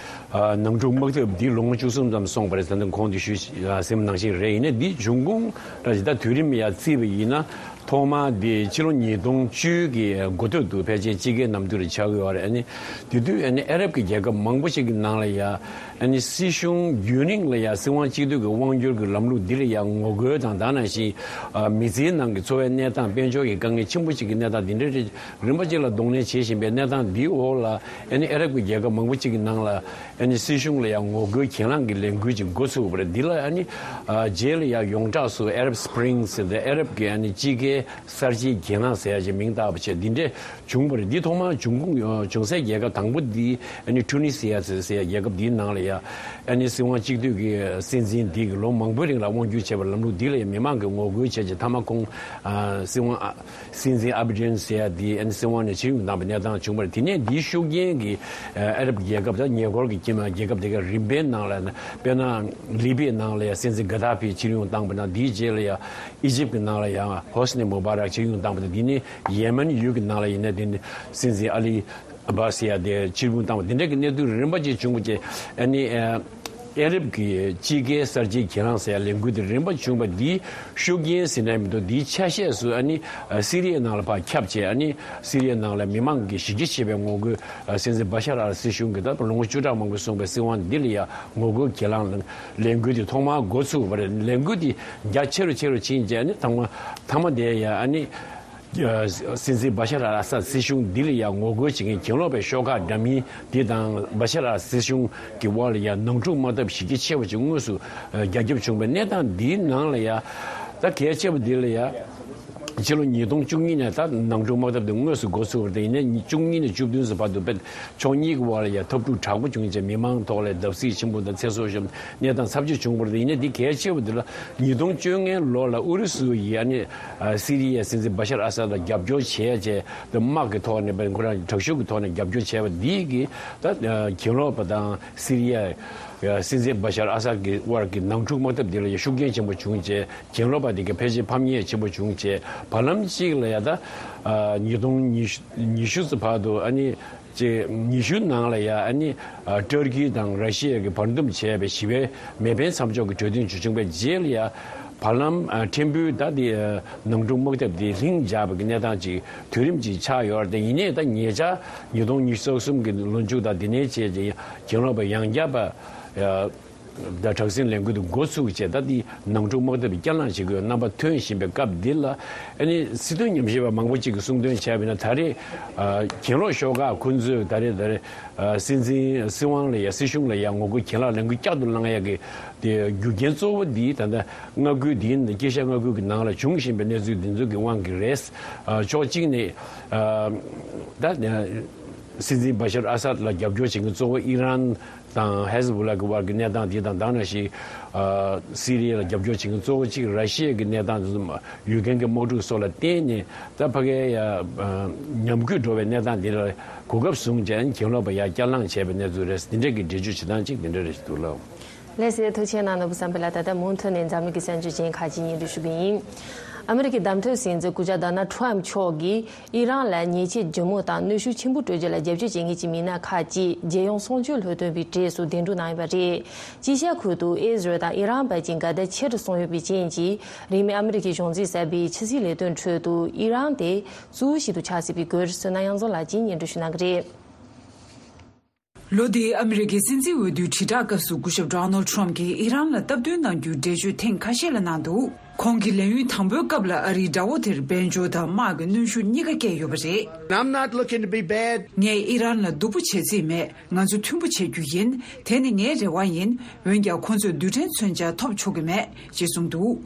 ཨ་ནང་འཁྲུག་དམག་འཐབ་འདི་ལོ་ངོ་བཅུ་གསུམ་ཙམ་སོང་བ་རེད། ད་ལྟ་གོང་དུ་ཞུས་ཟིན་པ་ནང་བཞིན་རེད། ཡིན་ནའི་འདི་འབྱུང་ཁུངས་ར་ཅིག་ད་དུས་རིམ་ཡར་བརྩིས་པ་ཡིན་ན། ཐོག་མ་དེ་ཕྱི་ལོ་ཉིས་སྟོང་བཅུ་གི་འགོ་སྟོད་དུ་ཕལ་ཆེར་དཔྱིད་ཀའི་གནམ་དུས་རེ་ཆགས་ཀྱི་ཡོད་རེད། ཨ་ནི་དེ་དུས་ཨ་ནི་ཨ་རབ་ཀྱི་རྒྱལ་ཁབ་མང་པོ་ཞིག་གི་ནང་ལ་ཡ་ཨ་ནི་སྲིད་གཞུང་རྒྱུན་རིང་ལ་ཡ་སྲིད་དབང་གཅིག་སྡུད་ཀྱི་དབང་སྒྱུར་གྱི་ལམ་ལུགས་འདི་ལ་ཡ་ངོ་རྒོལ་དང་། ད་ནང་བཞིན་ཨ་མི་ཚེའི་ནང་གི་འཚོ་བའི་གནས་སྟངས། དཔལ་འབྱོར་གྱི་དཀའ་ངལ་ཆེན་པོ་ཞིག་གི་གནས་སྟངས་འདི་འདྲ་རེ་རིམ་པ་གཅིག་ལ་གདོང་ལེན་བྱེད་བཞིན་པའི་གནས་སྟངས་འདིའི་འོག་ལ་ཨ་ནི་ཨ་རབ་ཀྱི་རྒྱལ་ཁབ་མང་པོ་ཞིག་གི་ནང་ལ། ཨ་ནི་སྲིད་གཞུང་ལ་ཡང་ངོ་རྒོལ་གྱེན་ལངས་ཀྱི་ལས་འགུལ་ཅིག་འགོ་ཚུགས་པ་རེད། འདི་ལ་ཨ་ནི་ཨ་རྗེས་ལ་ཡང་ཡོངས་གྲགས་སུ་Arab Spring ཟེར་ཏེ་ཨ་རབ་ཀྱི་ཨ་ནི་དཔྱིད་ཀའི་གསར་བརྗེའི་གྱེན་ལངས་ཟེར་ཡ་ཅིག་མིང་བཏགས་པ་བྱས། འདི་འདྲས་བྱུང་བ་རེད། འདི་ཐོག་མར་འབྱུང་ཁུངས་ཨ་བྱུང་སའི་རྒྱལ་ཁབ་དང་པོ་འདི་ཨ་ནི་ཊུ་ནི་སི་ཡ་ཟེར་སའི་རྒྱལ་ཁབ་འདིའི་ནང་ལ་ཡང་ཨ་ནི་སྲིད་དབང་གཅིག་སྡུད་ཀྱི་སྲིད་འཛིན་འདི་གིས་ལོ་མང་པོའི་རིང་ལ་དབང་སྒྱུར་བྱས་པའི་ལམ་ལུགས་འདི་ལ་ཡང་མི་མང་གིས་ངོ་རྒོལ་བྱས་རྗེས། མཐའ་མ་ཁོང་ཨ་སྲིད་དབང་ཨ་སྲིད་འཛིན་ཨ་བི་ཌེན་ཟེར་ཡ་དེ་ཨ་ནི་སྲིད་དབང་ནས་ཕྱིར་འབུད་བཏང་བའི་གནས་སྟངས་བྱུང་བ་རེད། དེ་ནས་འདིའི་ཤུགས་རྐྱེན་གྱིས་ཨ་ཨ་རབ་རྒྱལ་ཁབ་དང་ཉེ་འཁོར་གྱི་རྒྱལ་ཁབ་དེ་ག་རིམ་པའི་ནང་ལ། དཔེར་ན་ལི་པིའི་ནང་ལ་ཡང་སྲིད་འཛིན་གྷ་དཱ་ཕི་ཕྱིར་འབུད་བཏང་བ་དང་། དེའི་རྗེས་ལ་ཡང་ཨི་ཇིབ་ཀྱི་ནང་ལ་ཡང་ཧོ་སི་ནི་མུ་བཱ་རག་ཕྱིར་འབུད་བཏང་བ་དང་། དེ་ནས་ཡེ་མེན་ཡུལ་གྱི་ནང་ལ་ཡིན་ན་དེ་ནི་སྲིད་འཛིན་ཨ་ལི་ཨ་བྷ་སི་ཡ་དེ་ཕྱིར་འབུད་བཏང་བ། དེ་འདྲ་གི་གནས་ཚུལ་རིམ་པ་ཅིག་བྱུང་བ་བྱས། ཨ་ནི་ཨ་ཨ་རབ་ཀྱི་དཔྱིད་ཀའི་གསར་བརྗེའི་གྱེན་ལངས་ཟེར་ཡ་ལས་འགུལ་དེ་རིམ་པ་བྱུང་བ་འདིའི་ཤུགས་རྐྱེན་ཟེར་ན་མི་འདུག་འདིའི་ཆ་ཤས་སུ་ཨ་ནི་ཨ་སི་རི་ཡའི་ནང་ལ་ཕར་ཁྱབ་བྱས། ཨ་ནི་སི་རི་ཡའི་ནང་ལ་མི་མང་གི་གཞི་རྒྱ་ཆེ་བའི་ངོ་རྒོལ། ཨ་སྲིད་འཛིན་བ་ཤར་ཨལ་སྲིད་གཞུང་གི་ད་ལོ་ངོ་བཅུ་ཕྲག་མང་པོ་སོང་བའི་སྲིད་དབང་འདི་ལ་ཡང་ངོ་རྒོལ་གྱེན་ལངས་ལས་འགུལ་དེ་ཐོག་མར་འགོ་ཚུགས་པ་རེད། ལས་འགུལ་དེ་རྒྱ་ཆེ་རུ་ཆེ་རུ་ཕྱིན་རྗེས་ནི་ཐོག་མ་མཐའ་མ་དེ་ཡང་ཨ་ནི་ཨ་སྲིད་འཛིན་བ་ཤར་ཨལ་ཨ་སཱད་སྲིད་གཞུང་འདི་ལ་ཡང་ངོ་རྒོལ་བྱེད་མཁན་གྱེན་ལོག་པའི་ཤོག་ཁག་འདྲ་མིན་འདི་དང་བ་ཤར་ཨལ་སྲིད་གཞུང་གི་དབར་ལ་ཡང་ནང་འཁྲུག་དམག་འཐབ་གཞི་རྒྱ་ཆེ་བ་ཅིག་དངོས་སུ་ཨ་རྒྱ་ཁྱབ་བྱུང་བའི་གནས་སྟངས་འདིའི་ནང་ལ་ཡང་ད་གལ་ཆེ་བ་འདི་ལ་ཡང་། ཕྱི་ལོ་ཉིས་སྟོང་བཅུ་གཉིས་ནས་ད་ནང་འཁྲུག་དམག་འཐབ་དེ་དངོས་སུ་འགོ་ཚུགས་པ་རེད། ཡིན་ནའི་བཅུ་གཉིས་ནས་བཅུ་བདུན་ཙམ་བར་དུ་དཔེ་ཕྱོགས་གཉིས་ཀྱི་དབར་ལ་ཡང་འཐབ་འཁྲུག་དྲག་པོ་བྱུང་རྗེས་མི་མང་ཐོག་ལ་བརྡབ་གསིག་ཆེན་པོ་དང་ཚེ་སྲོག་ཤོར་གནས་སྟངས་ཚབས་ཆེ་བྱུང་བ་རེད། ཡིན་ནའི་འདི་གལ་ཆེ་བ་འདི་ལ་ཉིས་སྟོང་བཅོ་ལྔའི་ལོ་ལ་ཨུ་རུ་སུ་ཡིས་ཨ་ནི་ཨ་སི་རི་ཡའི་སྲིད་འཛིན་བ་ཤར་ཨ་སཱད་ལ་རྒྱབ་སྐྱོར་བྱས་རྗེས། དམག་གི་ཐོག་ནས་དཔེ་ཁོ་རང་དྲག་ཤུགས་ཀྱི་ཐོག་ནས་རྒྱབ་སྐྱོར་བྱས་པ་འདི་གིས་ད་གྱེན་ལོག་པ་དང་སི་རི་ཡ་སྲིད་འཛིན་བ་ཤར་ཨ་སཱད་ཀྱི་དབར་གྱི་ནང་འཁྲུག་དམག་འཐབ་འདི་ལ་ཡང་ཤུགས་རྐྱེན་ཆེན་པོ་བྱུང་རྗེས། གྱེན་ལོག་པ་དེ་གའི་ཕལ་ཆེར་ཕམ་ཉེས་ཆེན་པོ་བྱུང་རྗེས། བར་ལམ་གཅིག་ལ་ཡ་ད་ཨ་ཉིས་སྟོང་ཉི་ཤུ་ཙམ་བར་དུ་ཨ་ནི་ཅིག་ཉི་ཤུ་ནང་ལ་ཡ་ཨ་ནི་ཨ་ཏུར་ཀི་དང་ར་ཤི་ཡ་གིས་བར་འདུམ་བྱས་པའི་ཞི་བའི་མེ་འཕེན་མཚམས་འཇོག་གི་གྲོས་མཐུན་ཅིག་བྱུང་བའི་རྗེས་ལ་ཡ། བར་ལམ་ཨ་ཕྲན་བུ་ད་དེ་ཨ་ནང་འཁྲུག་དམག་འཐབ་དེ་ལྷིང་འཇགས་པའི་གནས་སྟངས་ཅིག་དུས་རིམ་ཅིག་ཆགས་ཡོད་རེད་དེ། ཡིན་ནའི་ད་ཉེ་ཆར་ཉིས་སྟོང་ཉི་ཤུ་རྩ་གསུམ་གྱི་ལོ་མཇུག་དང་དེ་ནས་བྱས་རྗེས་གྱེན་ལོག་པ་ཡང་བསྐྱར་པ་ཨ། ད་དྲག་ཟིང་ལས་འགུལ་དེ་འགོ་ཚུགས་བྱས། ད་དེ་ནང་འཁྲུག་དམག་འཐབ་བསྐྱར་ལངས་བྱེད་དགོས་རྣམ་པ་ཐོན་བཞིན་པའི་སྐབས་འདི་ལ། ཨ་ནི་སྲིད་དོན་ཉམས་ཞིབ་པ་མང་པོ་ཅིག་གིས་གསུངས་དོན་བྱས་པ་ཡིན་ན། ད་རེས་ཨ་གྱེན་ལོག་ཤོག་ཁག་ཁོ་ཚོས་ད་རེས་ད་རེས་ཨ་སྲིད་འཛིན་སྲིད་དབང་ལ་ཡ་སྲིད་གཞུང་ལ་ཡ་ངོ་རྒོལ་གྱེན་ལངས་ལས་འགུལ་བསྐྱར་དུ་བསླང་ཡ་གི་དེ་རྒྱུ་རྐྱེན་གཙོ་བོ་འདི་ད་ལྟ་མངའ་ཁུལ་འདིའི་དཀྱིལ་ཤར་མངའ་ཁུལ་གྱི་ནང་ལ་འབྱུང་བཞིན་པའི་གནས་ཚུལ་འདི་ཚོ་གི་དབང་གིས་རེད། ཨ་ཕྱོགས་གཅིག་ནས་ཨ་ད་སྲིད་འཛིན་བ་ཤར་ཨ་སཱད་ལ་རྒྱབ་སྐྱོར་བྱེད་མཁན་གཙོ་བོ་ཨི་རན་དང་ཧེ་ཟ་བུ་ལ་གི་དབར་གྱི་གནས་སྟངས་དེ་དང་། ད་ནང་བཞིན་ཨ་སི་རི་ཡ་ལ་རྒྱབ་སྐྱོར་བྱེད་མཁན་གཙོ་བོ་གཅིག་ར་ཤི་ཡ་གི་གནས་སྟངས་དེ་ཚོ་ཡུཀ་རེན་གྱི་དམག་འཁྲུག་སོགས་ལ་བརྟེན་ནས། ད་ཕ་གིའི་ཡ་ཨ་ཉམས་རྒུད་འགྲོ་བའི་གནས་སྟངས་དེ་ལ་གོ་སྐབས་བཟུང་བྱས་གྱེན་ལོག་པ་ཡ་བསྐྱར་ལངས་བྱས་པའི་གནས་ཚུལ་རེད། འདི་འདྲ་གི་འགྲེལ་བརྗོད་བྱེད་སྟངས་གཅིག་འདི་འདྲ་རེད་འདུག་ལགས། ལགས་སེ། ཐུགས་རྗེ་གནང་ནོར་བུ་བསམ་འཕེལ་ལགས། ད་ལྟ་མུ་མཐུད་ནས་འཛམ་གླིང་གི་གསར་འགྱུར་ཅན་ཁག་ཅིག་སྙན་སྒྲོན་ཞུ་གི་ཡིན། ཨ་མི་རི་ཀའི་བདམས་ཐོན་སྲིད་འཛིན་སྐུ་ཞབས་ཌོ་ནལ་ཊམ་མཆོག་གིས་ཨི་རན་ལ་ཉེས་ཆད་ལྗིད་མོ་དང་གནོན་ཤུགས་ཆེན་པོ་སྤྲོད་རྒྱུ་ལ་རྒྱབ་སྐྱོར་བྱེད་མཁན་གྱི་མི་སྣ་ཁག་ཅིག་རྒྱལ་ཡོངས་གསུམ་བཅུའི་ལྷོ་སྟོན་པའི་གྲས་སུ་གདན་དྲངས་གནང་ཡོད་པ་རེད། དཀྱིལ་ཤར་ཁུལ་དུ་ཨི་ཟི་རལ་དང་ཨི་རན་བར་གྱི་འགལ་ཟླ་ཆེ་རུ་སོང་ཡོད་པའི་རྐྱེན་གྱིས། རིང་མིན་ཨ་མི་རི་ཀའི་གཞུང་འཛིན་གསར་པའི་ཕྱི་སྲིད་ལས་དོན་ཁྲོད་དུ་ཨི་རན་དེ་གཙོ་བོ་ཞིག་ཏུ་ཆགས་སྲིད་པའི་སྐོར་བསོད་ནམས་དབྱངས་འཛོམས་ལགས་ཀྱིས་སྙན་སྒྲོན་ཞུ་གནང་གི་རེད། ལོ་འདིའི་ཨ་མི་རི་ཀའི་སྲིད་འཛིན་འོས་བསྡུའི་དྲིལ་བསྒྲགས་སྐབས་སུ་སྐུ་ཞབས་ཌོ་ནལ་ཊམ་གྱིས་ཨི་རན་ལ་སྟབས་བསྟུན་གནང་རྒྱུའི་འགྲེལ་བརྗོད་ཐེངས་ཁ་ཤས་ལ་གནང་འདུག་ཁོང་གིས་ལས་ཡུན་དང་པོའི་སྐབས་ལ་ཨ་རིའི་དགྲ་བོ་དེར་དཔལ་འབྱོར་དང་དམག་གི་གནོན་ཤུགས་གཉིས་ཀ་བསྐྱལ་ཡོད་པ་རེད། I'm not looking to be bad. ངས་ཨི་རན་ལ་སྡུག་པོ་བྱེད་རྩིས་མེད། ང་ཚོ་མཐུན་པོ་བྱེད་རྒྱུ་ཡིན། དེ་ནི་ངའི་རེ་བ་ཡིན། འོན་ཀྱང་ཁོ་ཚོས་རྡུལ་ཕྲན་མཚོན་ཆ་ཐོབ་ཆོག་གི་མེད་ཅེས་གསུངས་འདུག།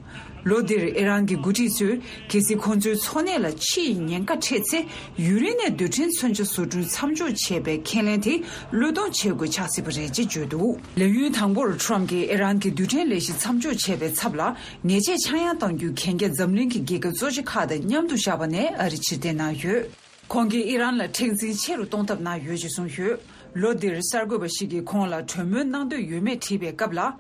ལོ་འདིར་ཨི་རན་གྱི་འགོ་ཁྲིད་ཚོས་གལ་སྲིད་ཁོ་ཚོའི་འཚོ་གནས་ལ་འཕྱི་ཡི་ཉེན་ཁ་འཕྲད་ཚེ། ཡུན་རིང་ནས་རྡུལ་ཕྲན་མཚོན་ཆ་བཟོ་སྐྲུན་མཚམས་འཇོག་བྱས་པའི་ཁས་ལེན་དེ་བློས་གཏོང་བྱེད་དགོས་ཆགས་སྲིད་པ་རེད་ཅེས་བརྗོད་འདུག། ལས་ཡུན་དང་པོར་ཁྲོམ་གྱིས་ཨི་རན་གྱི་རྡུལ་ཕྲན་ལས་གཞི་མཚམས་འཇོག་བྱས་པའི་ཚབ་ལ། ཉེས་ཆད་ཆག་ཡང་གཏང་རྒྱུའི་གན་རྒྱ་འཛམ་གླིང་གི་རྒྱལ་ཁབ་གཙོ་ཆེ་ཁག་དང་མཉམ་དུ་བཞག་པ་ནས་ཨ་རི་ཕྱིར་འཐེན་གནང་ཡོད། ཁོང་གིས་ཨི་རན་ལ་མཁྲེགས་འཛིན་ཆེ་རུ་གཏོང་ཐབས་གནང་ཡོད་ཅེས་གསུངས་ཡོད། ལོ་འདིར་གསར་འགོད་པ་ཞིག་གིས་ཁོང་ལ་གྲོས་མོལ་གནང་འདོད་ཡོད་མེད་དྲིས་པའི་སྐབས་ལ།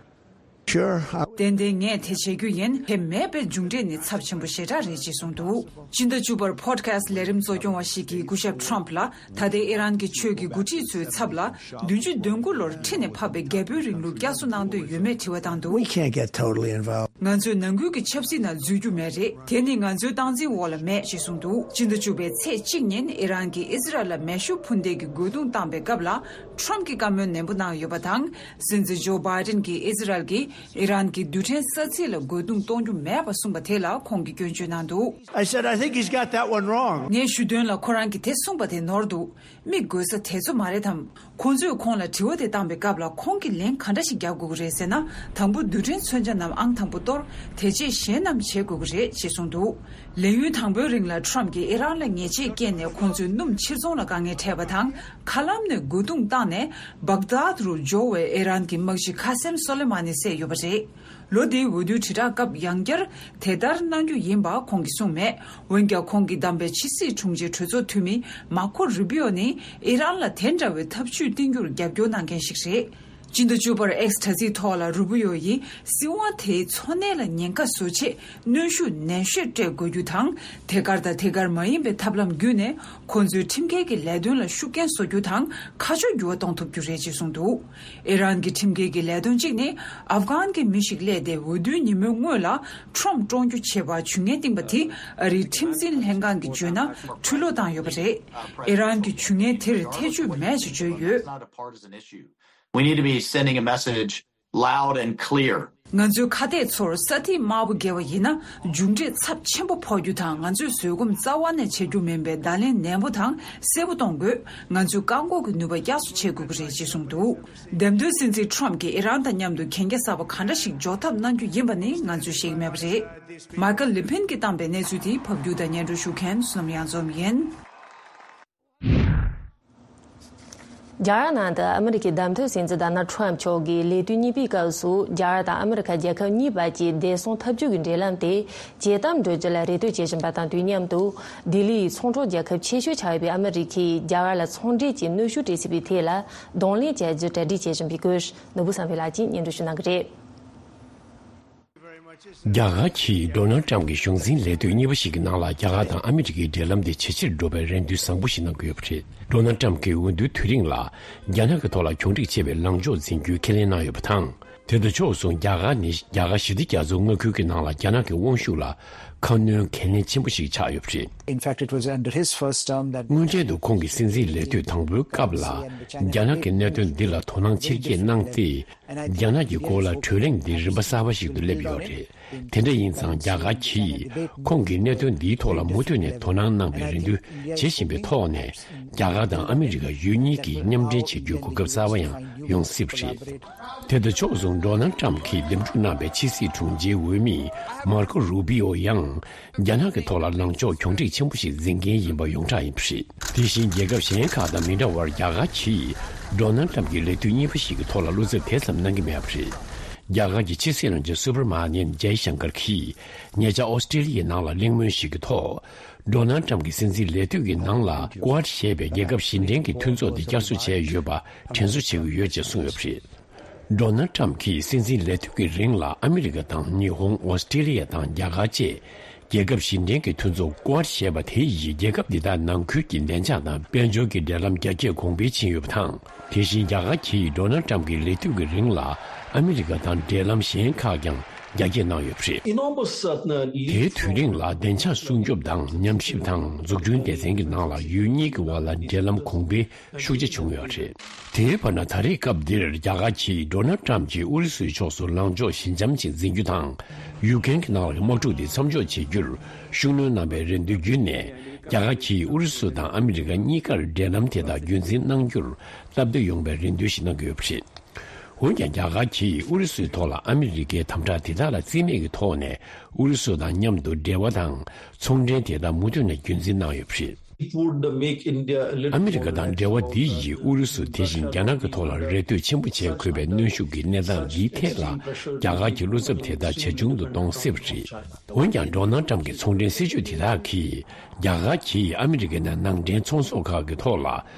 Sure. I- ཏན་ཏན་ངས་དེ་བྱེད་རྒྱུ་ཡིན། དེ་མེད་པའི་མཇུག་འབྲས་ནི་ཚབས་ཆེན་པོ་ཞེ་དྲག་རེད་ཅེས་གསུངས་འདུག། སྤྱི་ཟླ་བཅུ་པར་Podcast་ལས་རིམ་གཙོ་སྐྱོང་བ་ཞིག་གིས་སྐུ་ཞབས་Trump་ལ། ད་ལྟའི་ཨི་རན་གྱི་ཆོས་ཀྱི་འགོ་ཁྲིད་ཚོའི་ཚབ་ལ། བདུན་ཅུ་དོན་དགུ་ལོར་ཁྲི་ནས་ཕབ་པའི་རྒྱལ་པོའི་རིང་ལུགས་བསྐྱར་གསོ་གནང་འདོད་ཡོད་མེད་དྲི་བ་བཏང་འདུག། We can't get totally involved. ང་ཚོས་ནང་ཁུལ་གྱི་ཆབ་སྲིད་ནང་འཛུལ་རྒྱུ་མེད་རེད། དེ་ནི་ང་ཚོའི་སྟངས་འཛིན་འོག་ལ་མེད་ཅེས་གསུངས་འདུག། སྤྱི་ཟླ་བཅུ་པའི་ཚེས་གཅིག་ཉིན་ཨི་རན་གྱིས་ཨི་ཟི་རལ་ལ་མེ་ཤུགས་འཕུར་མདེལ་གྱི་རྒོལ་རྡུང་བཏང་པའི་སྐབས་ལ། Trump་གྱིས་བཀའ་མོལ་ནན་པོ་གནང་ཡོད་པ་དང་། སྲིད་འཛིན་ཇོ་བྷའི་ཏིན་གྱིས་ཨི་ཟི་རལ་གྱིས་ཨི་རན་གྱི་རྡུལ་ཕྲན་ས་ཚིགས་ལ་རྒོལ་རྡུང་གཏོང་རྒྱུ་མེད་པ་གསུངས་པ་དེ་ལ་ཁོང་གིས་སྐྱོན་བརྗོད་གནང་འདུག། I said, "I think he's got that one wrong." ངས་ཞུ་དོན་ལ་ཁོ་རང་གིས་དེ་གསུངས་པ་དེ་ནོར་འདུག། མི་རྒོལ་ས་དེ་ཚོ་མ་རེད་དམ། ཁོང་ཚོས་ཁོང་ལ་དྲི་བ་དེ་བཏང་པའི་སྐབས་ལ་ཁོང་གིས་ལན་ག་འདྲ་ཞིག་རྒྱག་དགོས་ཀྱི་རེད་ཟེར་ན། དང་པོ་རྡུལ་ཕྲན་མཚོན་ཆ་རྣམས་ཨང་དང་པོ་གཏོར། དེ་རྗེས་གཞན་རྣམས་བྱེད་དགོས་ཀྱི་རེད་ཅེས་གསུངས་འདུག། ལས་ཡུན་དང་པོའི་རིང་ལ་Trump་གྱིས་ཨི་རན་ལ་ཉེས་ཆད་བཀལ་ནས་ཁོང་ཚོའི་སྣུམ་ཕྱིར་ཚོང་ལ་དཀའ་ངལ་འཕྲད་པ་དང་། མཁའ་ལམ་ནས་རྒོལ་རྡུང་བཏང་ནས་སྦག་དཱད་རུ་འབྱོར་བའི་ཨི་རན་གྱི་དམག་སྤྱི་ཁ་སེམ་སོ་ལེ་མ་ནི་བསད་ཡོད་པ་རེད། ལོ་འདིའི་འོས་བསྡུའི་དྲིལ་བསྒྲགས་སྐབས་ཡང་བསྐྱར་དེ་ལྟར་གནང་རྒྱུ་ཡིན་པ་ཁོང་གིས་གསུངས་མེད། འོན་ཀྱང་ཁོང་གིས་བདམས་པའི་ཕྱི་སྲིད་དྲུང་ཆེ་གྲོས་ཚོགས་འཐུས་མི་མར་ཁོ་རུ་བྷི་ཨོ་ནི་ཨི་རན་ལ་དེ་འདྲ་བའི་ཐབས་ཇུས་བསྟེན་རྒྱུར་རྒྱབ་སྐྱོར་གནང་མཁན་ཞིག་རེད། སྤྱི་ཟླ་བཅུ་པར་X་དྲ་ཚིགས་ཐོག་ལ་རུ་བྷི་ཨོ་ཡིས་སྲིད་དབང་དེའི་འཚོ་གནས་ལ་ཉེན་ཁ་བཟོ་ཆེད་གནོན་ཤུགས་ནན་ཤོས་སྤྲད་དགོས་རྒྱུ་དང་། དེ་གར་དང་དེ་གར་མ་ཡིན་པའི་ཐབས་ལམ་བརྒྱུད་ནས་ཁོང་ཚོའི་ཁྲིམས་འགལ་གྱི་ལས་དོན་ལ་ཤུགས་རྐྱེན་བཟོ་རྒྱུ་དང་ཁ་ཕྱོགས་འགྱུར་བ་གཏོང་ཐུབ་རྒྱུ་རེད་ཅེས་གསུངས་འདུག། ཨི་རན་གྱི་ཁྲིམས་འགལ་གྱི་ལས་དོན་གཅིག་ནི་ཨབ་གྷན་གྱི་མི་ཞིག་སླེབས་ཏེ་འོས་བསྡུའི་ཉིན་མོའི་སྔོན་ལ་Trump་བཀྲོངས་རྒྱུ་བྱེད་པར་ཇུས་ངན་བཏིང་པ་དེ་ཨ་རིའི་ཁྲིམས་འཛིན་ལྷན་ཁང་གིས་བརྗོད་ན་འཁྲུལ་ལོག་བཏང་ཡོད་པ་རེད། ཨི་རན་གྱིས་ཇུས་ངན་དེར་ཐེ་བྱུས་མེད་ཅེས་བརྗོད་ཡོད། We need to be sending a message loud and clear. ང་ཚོའི་ཁ་གཏད་ཚོར་ས་ཐིག་དམར་པོ་བརྒལ་བ་ཡིན་ན་མཇུག་འབྲས་ཚབས་ཆེན་པོ་ཕོག་རྒྱུ་དང་། ང་ཚོས་བཟོད་སྒོམ་རྩ་བ་ནས་བྱེད་རྒྱུ་མིན་པའི་བརྡ་ལན་ནན་པོ་དང་གསལ་པོ་གཏོང་དགོས། ང་ཚོས་བཀག་འགོག་གི་ནུས་པ་བསྐྱར་གསོ་བྱེད་དགོས་ཀྱི་རེད་ཅེས་གསུངས་འདུག། འདེམས་ཐོན་སྲིད་འཛིན་Trump་གྱིས་ཨི་རན་དང་མཉམ་དུ་གན་རྒྱ་གསར་པ་ག་འདྲ་ཞིག་འཇོག་ཐབས་གནང་རྒྱུ་ཡིན་པ་ནི་ང་ཚོས་ཤེས་ཀྱི་མེད་པ་རེད། Michael Levin་གྱིས་བཏང་པའི་གནས་ཚུལ་དེ་ཕབ་སྒྱུར་དང་སྙན་སྒྲོན་ཞུ་མཁན་བསོད་ནམས་གཡང་འཛོམས་ཡིན། རྒྱ་གར་ནང་དུ་ཨ་མི་རི་ཀའི་བདམས་ཐོན་སྲིད་འཛིན་Donald Trump་མཆོག་གིས་ལས་དུས་གཉིས་པའི་སྐབས་སུ་རྒྱ་གར་དང་ཨ་མི་རི་ཀ་རྒྱལ་ཁབ་གཉིས་བར་གྱི་བདེ་སྲུང་འཐབ་ཇུས་ཀྱི་འབྲེལ་ལམ་དེ་ཇེ་དམ་འགྲོ་རྒྱུ་ལ་རེ་ལྟོས་བྱེད་བཞིན་པ་དང་དུས་མཉམ་དུ། ལྡི་ལི་ཡི་ཚོང་གྲོགས་རྒྱལ་ཁབ་ཆེ་ཤོས་ཆགས་ཡོད་པའི་ཨ་མི་རི་ཀས་རྒྱ་གར་ལ་ཚོང་འབྲེལ་གྱི་གནོན་ཤུགས་སྤྲད་སྲིད་པའི་ཐད་ལ་གདོང་ལེན་བྱ་རྒྱུ་གྲ་སྒྲིག་བྱེད་བཞིན་པའི་སྐོར་ནོར་བུ་བསམ་འཕེལ་ལགས་ཀྱིས་སྙན་སྒྲོན་ཞུ་གནང་གི་རེད། རྒྱ་གར་གྱིས་Donald Trump་གྱི་གཞུང་འཛིན་ལས་དུས་གཉིས་པ་ཞིག་གི་ནང་ལ་རྒྱ་གར་དང་ཨ་མི་རི་ཀའི་འབྲེལ་ལམ་དེ་ཇེ་ཆེར་འགྲོ་བའི་རེ་འདུན་བཟང་པོ་ཞིག་གནང་གི་ཡོད་པ་རེད། Donald Trump་གྱིས་འོས་བསྡུའི་དུས་རིང་ལ་རྒྱ་ནག་གི་ཐོག་ལ་གྱོང་རིག་ཆེ་བའི་ལངས་ཕྱོགས་འཛིན་རྒྱུའི་ཁས་ལེན་གནང་ཡོད་པ་དང་། དེ་དང་ཕྱོགས་མཚུངས་རྒྱ་གར་ནི་རྒྱ་གར་ཞི་བདེ་རྒྱ་མཚོའི་མངའ་ཁུལ་གྱི་ནང་ལ་རྒྱ་ནག་གི་དབང་ཤུགས་ལ་ཁ་སྣོན་གལ་གནད་ཆེན་པོ་ཞིག་ཆགས་ཡོད་པ་རེད། In fact, it was under his first term that སྔོན་གྲལ་དུ་ཁོང་གི་སྲིད་འཛིན་ལས་དུས་དང་པོའི་སྐབས་ལ་རྒྱ་ནག་གི་གནད་དོན་འདི་ལ་དོ་སྣང་ཆེར་སྐྱེད་གནང་སྟེ། རྒྱ་ནག་གི་སྐོར་ལ་གྲོས་གླེང་འདི་རིམ་པ་གསར་པ་ཞིག་ཏུ་སླེབས་ཡོད་རེད། དེ་འདྲ་ཡིན་ཙང་རྒྱ་གར་གྱིས་ཁོང་གི་གནད་དོན་འདིའི་ཐོག་ལ་མུ་མཐུད་ནས་དོ་སྣང་གནང་བའི་རེ་འདུན་བྱེད་བཞིན་པའི་ཐོག་ནས་རྒྱ་གར་དང་ཨ་མི་རི་ཀ་ཡུལ་གཉིས་ཀྱིས་མཉམ་འབྲེལ་བྱེད་རྒྱུའི་གོ་སྐབས་གསར་པ་ཡང་ཡོང་སྲིད་པ་རེད། དེ་དང་ཕྱོགས་མཚུངས་Donald Trump་གིས་འདེམས་སྒྲུག་གནང་བའི་ཕྱི་སྲིད་དྲུང་ཆེའི་འོས་མི་Marco Rubio་ཡང་རྒྱ་ནག་གི་ཐོག་ལ་ལངས་ཕྱོགས་གྱོང་རིག་ཆེན་པོ་ཞིག་འཛིན་མཁན་ཡིན་པ་ཡོངས་གྲགས་ཡིན་པ་རེད། དེ་བཞིན་རྒྱལ་ཁབ་གཞན་ཁག་དང་མི་འདྲ་བར་རྒྱ་གར་གྱིས་Donald Trump་གྱི་ལས་དུས་གཉིས་པ་ཞིག་གི་ཐོག་ལ་བློ་འཚབ་དེ་ཙམ་གནང་གི་མེད་པ་རེད། རྒྱ་གར་གྱི་ཕྱི་སྲིད་བློན་ཆེན་Subrahmanyam Jaishankar་གྱིས་ཉེ་ཆར་ཨོ་སི་ཀྲི་ལི་ཡའི་ནང་ལ་གླེང་མོལ་ཞིག་གི་ཐོག་Donald Trump་གྱི་སྲིད་འཛིན་ལས་དུས་ཀྱི་ནང་ལ་Quad་ཞེས་པའི་རྒྱལ་ཁབ་བཞི་ལྡན་གྱི་མཐུན་ཚོགས་དེ་བསྐྱར་གསོ་བྱས་ཡོད་པ་དྲན་གསོ་བྱེད་ཀྱི་ཡོད་ཅེས་གསུངས་ཡོད་པ་རེད། Donald Trump་གྱིས་སྲིད་འཛིན་ལས་དུས་ཀྱི་རིང་ལ་ཨ་མི་རི་ཀ་དང་ཉི་ཧོང་། ཨོ་སི་ཀྲི་ལི་ཡ་དང་རྒྱ་གར་བཅས་རྒྱལ་ཁབ་བཞི་ལྡན་གྱི་མཐུན་ཚོགས་Quad་ཞེས་པ་དེ་ཡིས་རྒྱལ་ཁབ་འདི་དག་ནང་ཁུལ་གྱི་བདེ་འཇགས་དང་དཔལ་འབྱོར་གྱི་འབྲེལ་ལམ་རྒྱ་སྐྱེད་གོང་འཕེལ་ཕྱིན་ཡོད་པ་དང་། དེ་བཞིན་རྒྱ་གར་གྱིས་Donald Trump་གྱི་ལས་དུས་ཀྱི་རིང་ལ་ཨ་མི་རི་ཀ་དང་འབྲེལ་ལམ་གཞན་ཁག་ཀྱང་ རྒྱ་སྐྱེད་གནང་ཡོད་པ་རེད། དེའི་དུས་རིང་ལ་བདེ་འཇགས་སྲུང་སྐྱོབ་དང་ཉམས་ཞིབ་དང་འཛུགས་སྐྲུན་སྡེ་ཚན་གྱི་ནང་ལ་ཡུལ་གཉིས་ཀྱི་དབར་ལ་འབྲེལ་ལམ་གོང་འཕེལ་ཤུགས་ཆེ་བྱུང་ཡོད་རེད། དེའི་བར་ན་ད་རེས་སྐབས་འདིར་རྒྱ་གར་གྱིས་ཌོ་ནལ་ཊམ་གྱིས་ཨུ་རུ་སུའི་ཕྱོགས་སུ་ལངས་ཕྱོགས་ཞི་འཇམ་ཞིག་འཛིན་རྒྱུ་དང་། ཡུཀ་རེན་གྱི་ནང་ལ་དམག་འཁྲུག་དེ་མཚམས་འཇོག་བྱེད་རྒྱུར་ཤུགས་སྣོན་གནང་བའི་རེ་འདུན་བརྒྱུད་ནས། རྒྱ་གར་གྱིས་ཨུ་རུ་སུ་དང་ཨ་མི་རི་ཀ་གཉིས་ཀར་འབྲེལ་ལམ་དེ་དག་རྒྱུན་འཛིན་གནང་རྒྱུར་སྟབས་བདེ་ཡོང་བའི་རེ་འདུན་ཞིག་གནང་གི་ཡོད་པ་རེད། འོན་ཀྱང་། རྒྱ་གར་གྱིས་ཨུ་རུ་སུའི་ཐོག་ལ་ཨ་མི་རི་ཀའི་དམ་དྲག་དེ་དག་ལ་རྩིས་མེད་ཀྱི་ཐོག་ནས་ཨུ་རུ་སུ་དང་མཉམ་དུ་འབྲེལ་བ་དང་ཚོང་འབྲེལ་དེ་དག་མུ་མཐུད་ནས་རྒྱུན་འཛིན་གནང་ཡོད་པ་རེད། It would make India a little ཨ་མི་རི་ཀ་དང་འབྲེལ་བ་འདི་ཡིས་ཨུ་རུ་སུ་དེ་བཞིན་རྒྱ་ནག་གི་ཐོག་ལ་རེ་ལྟོས་ཆེན་པོ་བྱེད་དགོས་པའི་གནོན་ཤུགས་ཀྱི་གནས་སྟངས་འདིའི་ཐད་ལ་རྒྱ་གར་གྱི་བློ་འཚབ་དེ་དག་ཇེ་ཆུང་དུ་གཏོང་སྲིད་པ་རེད། འོན་ཀྱང་། ཌོ་ནལ་ཊམ་གྱི་ཚོང་འབྲེལ་སྲིད་ཇུས་དེ་དག་གིས་རྒྱ་གར་གྱིས་ཨ་མི་རི་ཀའི་ནང་ནང་འདྲེན་ཚོང་ཟོག་ཁག་གི་ཐོག་ལ་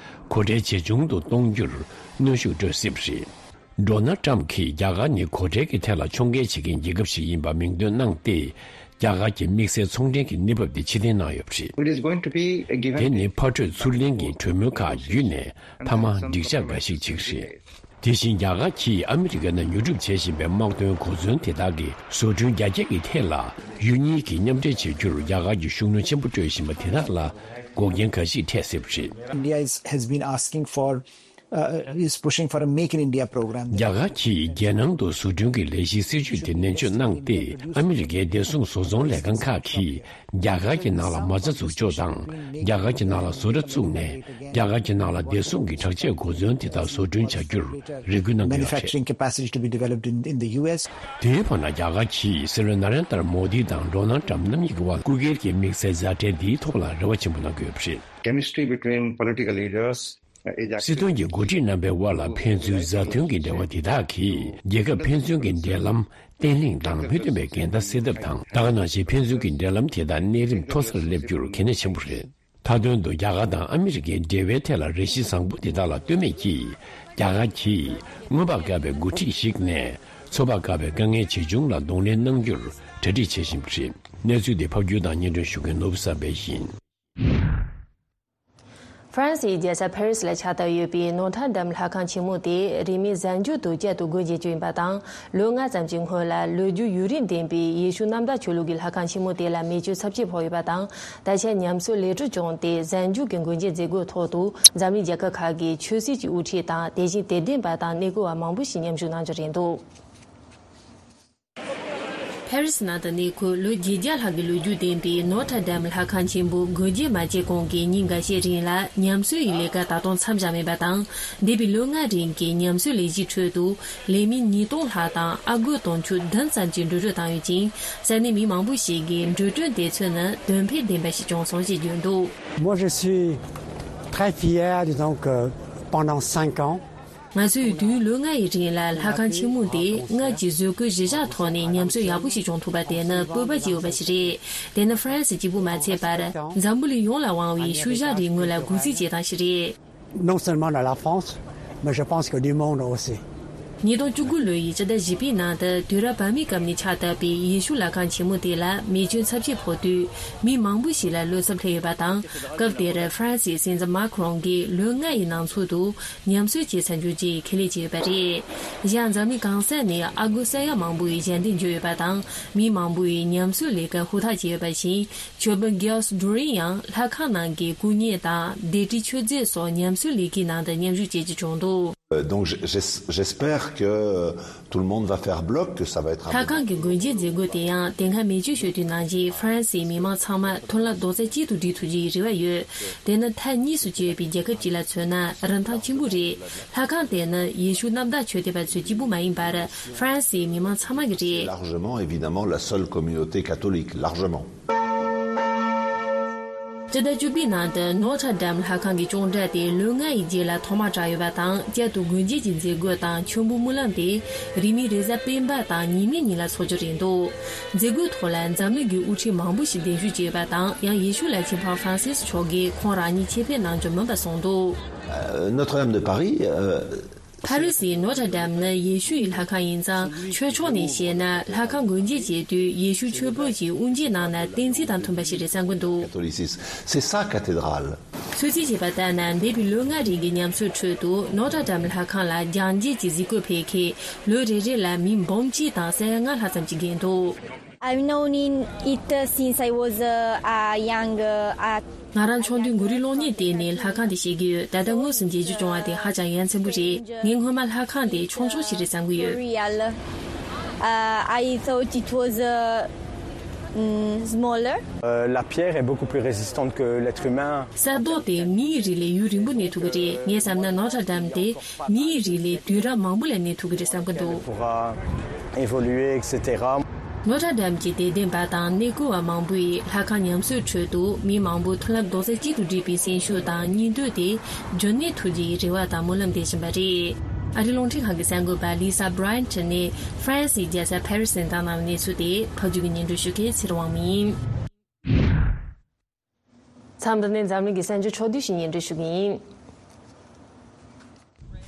གོ་ཁྲལ་ཇེ་ཆུང་དུ་གཏོང་རྒྱུར་གནོན་ཤུགས་སྤྲོད་སྲིད་པ་རེད། ཌོ་ནལ་ཊམ་གྱིས་རྒྱ་གར་ནི་གོ་ཁྲལ་གྱི་ཐད་ལ་ཕྱོགས་འགལ་བྱེད་མཁན་རྒྱལ་ཁབ་ཞིག་ཡིན་པ་མིང་འདོན་གནང་སྟེ། རྒྱ་གར་གྱི་དམིགས་བསལ་ཚོང་འབྲེལ་གྱི་གནས་བབ་དེ་ཕྱིར་འཐེན་གནང་ཡོད་པ་རེད། It is going to be given དེ་ནི་ཕར་སྤྲོད་ཚུར་ལེན་གྱི་གྲོས་མོལ་ཁག་བརྒྱུད་ནས་མཐའ་མ་འགྲིག་འཇགས་འགའ་ཞིག་ཅིག་རེད། དེ་བཞིན། རྒྱ་གར་གྱིས་ཨ་མི་རི་ཀའི་ནང་ཉོ་སྒྲུབ་བྱེད་བཞིན་པའི་དམག་དོན་གོ་མཚོན་དེ་དག་གི་བཟོ་སྐྲུན་རྒྱ་སྐྱེད་ཀྱི་ཐད་ལ་ཡུལ་གཉིས་ཀྱིས་མཉམ་འབྲེལ་བྱེད་རྒྱུར་རྒྱ་གར་གྱིས་ཤུགས་སྣོན་ཆེན་པོ་སྤྲོད་བཞིན་པ་དེ་དག་ལ་འགོག་རྐྱེན་འགའ་ཞིག་འཕྲད་སྲིད་པ་རེད། India is, has been asking for, uh, is pushing for a Make in India program. རྒྱ་གར་གྱིས་རྒྱལ་ནང་དུ་བཟོ་སྐྲུན་གྱི་ལས་གཞིའི་སྲིད་ཇུས་དེ་ནན་བརྗོད་གནང་སྟེ། ཨ་མི་རི་ཀའི་བདེ་སྲུང་བཟོ་ཚོང་ལས་ཁང་ཁག་གིས་རྒྱ་གར་གྱི་ནང་ལ་མ་རྩ་འཛུགས་ཕྱོགས་དང་། རྒྱ་གར་གྱི་ནང་ལ་བཟོ་གྲྭ་བཙུགས་ནས་རྒྱ་གར་གྱི་ནང་ལ་བདེ་སྲུང་གི་དྲག་ཆས་གོ་མཚོན་དེ་དག་བཟོ་སྐྲུན་བྱ་རྒྱུར་རེ་སྐུལ་གནང་གི་ཡོད་པ་རེད། Manufacturing capacity to be developed in, in the U S. དེའི་བར་ན། རྒྱ་གར་གྱིས་སྲིད་བློན་ན་རེན་དར་མོ་དི་དང་ཌོ་ནལ་ཊམ་རྣམ་གཉིས་ཀྱི་དབར་སྐུ་སྒེར་གྱི་དམིགས་བསལ་མཛའ་འབྲེལ་འདིའི་ཐོག་ལ་རེ་བ་ཆེན་པོ་གནང་གི་ཡོད་པ་རེད། Chemistry between political leaders is actually སྲིད་དོན་གྱི་འགོ་ཁྲིད་རྣམ་པའི་དབར་ལ་ཕན་ཚུན་མཛའ་མཐུན་གྱི་འབྲེལ་བ་འདི་དག་གིས་རྒྱལ་ཁབ་ཕན་ཚུན་གྱི་འབྲེལ་ལམ་བརྟན་ལྷིང་དང་མི་མཐུན་པའི་འགལ་ཟླ་སེལ་ཐབས་དང་། ད་ག་ནང་བཞིན་ཕན་ཚུན་གྱི་འབྲེལ་ལམ་དེ་དག་གནས་རིམ་མཐོ་སར་སླེབས་རྒྱུར་གལ་གནད་ཆེན་པོ་རེད། མཐའ་དོན་དུ་རྒྱ་གར་དང་ཨ་མི་རི་ཀའི་འབྲེལ་བའི་ཐད་ལ་རེ་ཞིག་བཟང་པོ་འདི་དག་ལ་ལྟོས་མེད་ཀྱིས། རྒྱ་གར་གྱིས་སྔོན་དཔག་དཀའ་བའི་འགོ་ཁྲིད་ཞིག་ནས་ཚོད་དཔག་དཀའ་བའི་དཀའ་ངལ་ཇི་བྱུང་ལ་གདོང་ལེན་གནང་རྒྱུར་གྲ་སྒྲིག་བྱེད་བཞིན་པ་རེད། གནས་ཚུལ་འདི་ཕབ་སྒྱུར་དང་སྙན་སྒྲོན་ཞུ་མཁན་ནོར་བུ་བསམ་འཕེལ་ཡིན། ཧྥ་རན་སིའི་རྒྱལ་ས་ཕེ་རི་སི་ལ་ཆགས་བསྡད་ཡོད་པའི་ནོ་ཐར་ཌམ་ལྷ་ཁང་ཆེན་མོ་དེ་རིང་མིན་གཟའ་མཇུག་ཏུ་བསྐྱར་དུ་སྒོ་འབྱེད་རྒྱུ་ཡིན་པ་དང་། ལོ་ལྔ་ཙམ་གྱི་སྔོན་ལ་ལོ་རྒྱུས་ཡུན་རིང་ལྡན་པའི་ཡེ་ཤུ་གནམ་བདག་ཆོས་ལུགས་ཀྱི་ལྷ་ཁང་ཆེན་མོ་དེ་ལ་མེ་མཆོད་ཚབས་ཆེ་ཕོག་ཡོད་པ་དང་། ད་ཆ་ཉམས་གསོའི་ལས་གྲུབ་བྱུང་སྟེ། གཟའ་མཇུག་གི་སྒོ་འབྱེད་མཛད་སྒོའི་ཐོག་ཏུ་འཛམ་གླིང་རྒྱལ་ཁབ་ཁག་གི་ཆོས་སྲིད་ཀྱི་དབུ་ཁྲིད་དང་། དེ་བཞིན་དད་ལྡན་པ་དང་གནས་སྐོར་བ་མང་པོ་ཞིག་མཉམ་ཞུགས་གནང་རྒྱུ་རེད་འདུག་ཕེ་རི་སི་ནང་དུ་གནས་འཁོད་ལོ་བརྒྱད་བརྒྱ་ལྷག་གི་ལོ་རྒྱུས་ལྡན་པའི་ནོ་ཐར་ཌམ་ལྷ་ཁང་ཆེན་པོ་སྒོ་འབྱེད་མ་བྱས་གོང་གི་ཉིན་འགའ་ཤས་རིང་ལ་ཉམས་གསོའི་ལས་ཀ་ད་དུང་མཚམས་བཞག་མེད་པ་དང་། འདས་པའི་ལོ་ལྔ་རིང་གི་ཉམས་གསོའི་ལས་གཞིའི་ཁྲོད་དུ་ལས་མི་ཉིས་སྟོང་ལྷག་དང་ཨ་སྒོར་དུང་ཕྱུར་བདུན་ཙམ་གྱིས་འགྲོ་གྲོན་བཏང་ཡོད་ཅིང་། ས་གནས་མི་མང་པོ་ཞིག་གིས་འགྲོ་གྲོན་དེ་ཚོ་ནི་དོན་ཕན་ལྡན་པ་ཞིག་བྱུང་སོང་ཞེས་བརྗོད་འདུག Moi, je suis très fier, disons que pendant cinq ans, ང་ཚོས་དུས་ཡུན་ལོ་ལྔ་ཡི་རིང་ལ་ལྷ་ཁང་ཆེན་མོ་འདི་སྔར་གྱི་བཟོ་བཀོད་གཞི་བཞག་ཐོག་ནས་ཉམས་གསོ་ཡག་པོ་ཞིག་བྱུང་ཐུབ་པ་དེ་ནི་སྤོབས་པ་སྐྱེ་འོས་པ་ཞིག་རེད། དེ་ནི་ཧྥ་རན་སི་གཅིག་པུ་མ་ཚད་པར་འཛམ་བུ་གླིང་ཡོངས་ལ་དབང་བའི་ཤུལ་བཞག་རིག་དངོས་ལ་གུས་བརྩི་བྱེད་སྟངས་ཤིག་རེད། Non seulement à la France, mais je pense que du monde aussi. ཉིས་སྟོང་བཅུ་དགུ་ལོ་ཡི་ཕྱི་ཟླ་བཞི་པའི་ནང་དུ་དུས་རབས་བར་མའི་སྐབས་ནས་ཆགས་བསྡད་པའི་ཡེ་ཤུ་ལྷ་ཁང་ཆེན་མོ་དེ་ལ་མེ་མཆོད་ཚབས་ཆེ་ཕོག་དུས། མི་མང་པོ་ཞིག་ལ་བློ་འཚབ་སླེབས་ཡོད་པ་དང་། སྐབས་དེར་ཧྥ་རན་སིའི་སྲིད་འཛིན་མཱ་ཁི་རོང་གིས་ལོ་ལྔ་ཡི་ནང་ཚུད་དུ་ཉམས་གསོ་བྱེད་ཚར་རྒྱུ་བཅས་ཁས་ལེན་བྱས་ཡོད་པ་རེད། གཞན་འཛམ་གླིང་གང་ས་ནས་ཨ་སྒོར་ས་ཡ་མང་པོ་ཡི་ཞལ་འདེབས་འབྱོར་ཡོད་པ་དང་། མི་མང་པོ་ཡིས་ཉམས་གསོའི་ལས་ཀ་ཧུར་ཐག་བྱས་ཡོད་པ་བཞིན། ཆོས་དཔོན་གྷི་ཨོ་སི་ཌོ་རིན་ཡང་ལྷ་ཁང་ནང་གི་སྐུ་བརྙན་དང་ལྡེབས་བྲིས་མཆོད་རྫས་སོགས་ཉམས་གསོའི་ལས་ཀའི་ནང་དུ་མཉམ་ཞུགས་བྱེད་རྒྱུ་བྱུང་འདུག Euh, donc, j'- j'es- j'espère que tout le monde va faire bloc, que ça va être un ལྷ་moment ཁང་གི་སྒོ་འབྱེད་མཛད་སྒོ་དེ་ཡང་དེ་སྔ་མེ་མཆོད་ཞུ་དུས་ནང་བཞིན་ཧྥ་རན་སིའི་མི་མང་ཚང་མ་མཐུན་ལམ་རྡོག་རྩ་གཅིག་ཏུ་སྒྲིལ་ཐུབ་རྒྱུའི་རེ་བ་ཡོད། དེ་ནི་མཐའ་གཉིས་སུ་གྱེས་པའི་རྒྱལ་ཁབ་ཅིག་ལ་མཚོན་ན་རིན་ཐང་ཆེན་པོ་རེད། ལྷ་ཁང་དེ་ནི་ཡེ་ཤུ་གནམ་བདག་ཆོས་དད་པ་ཚོས་གཅིག་པུ་མ་ཡིན་པར་ཧྥ་རན་སིའི་མི་མང་ཚང་མ་གི་རེད། Largement, évidemment, la seule communauté catholique, largement. སྤྱི་ཟླ་བཅུ་པའི་ནང་དུ་ནོ་ཐར་ཌམ་ལྷ་ཁང་གི་ཅོང་སྒྲ་དེ་ལོ་ལྔ་ཡི་རྗེས་ལ་ཐོག་མར་གྲགས་ཡོད་པ་དང་། བསྐྱར་དུ་སྒོ་འབྱེད་ཀྱི་མཛད་སྒོ་དང་མཆོད་འབུལ་སྨོན་ལམ་དེ་རིང་མིན་རེས་གཟའ་སྤེན་པ་དང་ཉི་མའི་ཉིན་ལ་འཚོགས་རྒྱུ་རེད་འདུག་མཛད་སྒོའི་ཐོག་ལ་འཛམ་གླིང་གི་དབུ་ཁྲིད་མང་པོ་ཞིག་གདན་ཞུ་བྱས་ཡོད་པ་དང་། ཡང་ཡེ་ཤུ་བླ་ཆེན་པོབ་ཧྥ་རན་སིས་མཆོག་གིས་ཁོང་རང་ཉིད་ཆེད་ཕེབས་གནང་རྒྱུ་མིན་པ་གསུངས་འདུག Euh, Notre-Dame de Paris, euh, ཕ་རི་སིའི་ནོ་ཏྲ་ཌམ་ནི་ཡེ་ཤུ་ཡི་ལྷ་ཁང་ཡིན་ཙང་། ཆོས་ཕྱོགས་ནས་བཤད་ན། ལྷ་ཁང་སྒོ་འབྱེད་བྱེད་དུས་ཡེ་ཤུ་ཆོས་ཕོད་ཀྱིས་དབུ་འབྱེད་གནང་ན་བསྟན་འཛིན་དང་མཐུན་པ་ཞིག་རེད་བསམ་གྱི་འདུག Catholicisme, c'est sa cathédrale. ཚོད་རྩིས་བྱས་པ་ལྟར་ན། འདས་པའི་ལོ་ལྔ་རིང་གི་ཉམས་གསོའི་ཁྲོད་དུ། ནོ་ཏྲ་ཌམ་ལྷ་ཁང་ལ་རྒྱང་རྒྱས་ཀྱི་གཟིགས་སྐོར་ཕེབས་མཁན་ལོ་རེ་རེ་ལ་མི་འབུམ་གཅིག་དང་ས་ཡ་ལྔ་ལྷག་ཙམ་ཞིག་བརྒལ་འདུག I've known in it since I was uh, uh, young. Uh, uh, ང་རང་ཆུང་དུས་མགོ་རིལ་སློང་ཉིན་དེ་ནས་ལྷ་ཁང་དེ་བཤད་ཀྱི་ཡོད། ད་ལྟ་དངོས་སུ་མཇལ་རྒྱུ་བྱུང་བ་དེ་ཧ་ཅང་ཡ་མཚན་པོ་རེད། ངས་སྔོན་མ་ལྷ་ཁང་དེ་ཆུང་ཆུང་ཞིག་རེད་བསམ་གྱི་ཡོད། Real. Uh, I thought it was uh, mm, smaller. Euh, la pierre est beaucoup plus résistante que l'être humain. གསེར་མདོག་དེ་མིའི་རིགས་ལས་ཡུན་རིང་པོ་གནས་ཐུབ་ཀྱི་རེད། ངས་བསམ་ན་ནོ་ཏྲ་ཌམ་དེ་མིའི་རིགས་ལས་དུས་རབས་མང་པོ་ལ་གནས་ཐུབ་ཀྱི་རེད་བསམ་གྱི་འདུག Pourra évoluer, et cetera. ནོ་ཏྲ་ཌམ་གྱི་དད་ལྡན་པ་དང་གནས་སྐོར་བ་མང་པོས་ལྷ་ཁང་ཉམས་གསོའི་ཁྲོད་དུ་མི་མང་པོ་མཐུན་ལམ་རྡོག་རྩ་གཅིག་ཏུ་སྒྲིལ་བའི་སེམས་ཤུགས་དང་སྙིང་འདོད་དེ་རྒྱུན་གནས་ཐུབ་རྒྱུའི་རེ་བ་དང་སྨོན་ལམ་འདེབས་བཞིན་པ་རེད། ཨ་རིའི་རླུང་འཕྲིན་ཁང་གི་གསར་འགོད་པ་ལི་ས་བྷ་རའི་ཡན་ཊི་ནས་ཧྥ་རན་སིའི་རྒྱལ་ས་ཕ་རི་སི་ནས་བཏང་གནང་བའི་གནས་ཚུལ་དེ། ཕབ་སྒྱུར་གྱིས་སྙན་སྒྲོན་ཞུ་མཁན་ཚེ་རིང་དབང་མོ་ཡིན། མཚམས་འདི་ནས་འཛམ་གླིང་གི་གསར་འགྱུར་ཕྱོགས་བསྡུས་ཤིག་སྙན་སྒྲོན་ཞུ་གི་ཡིན།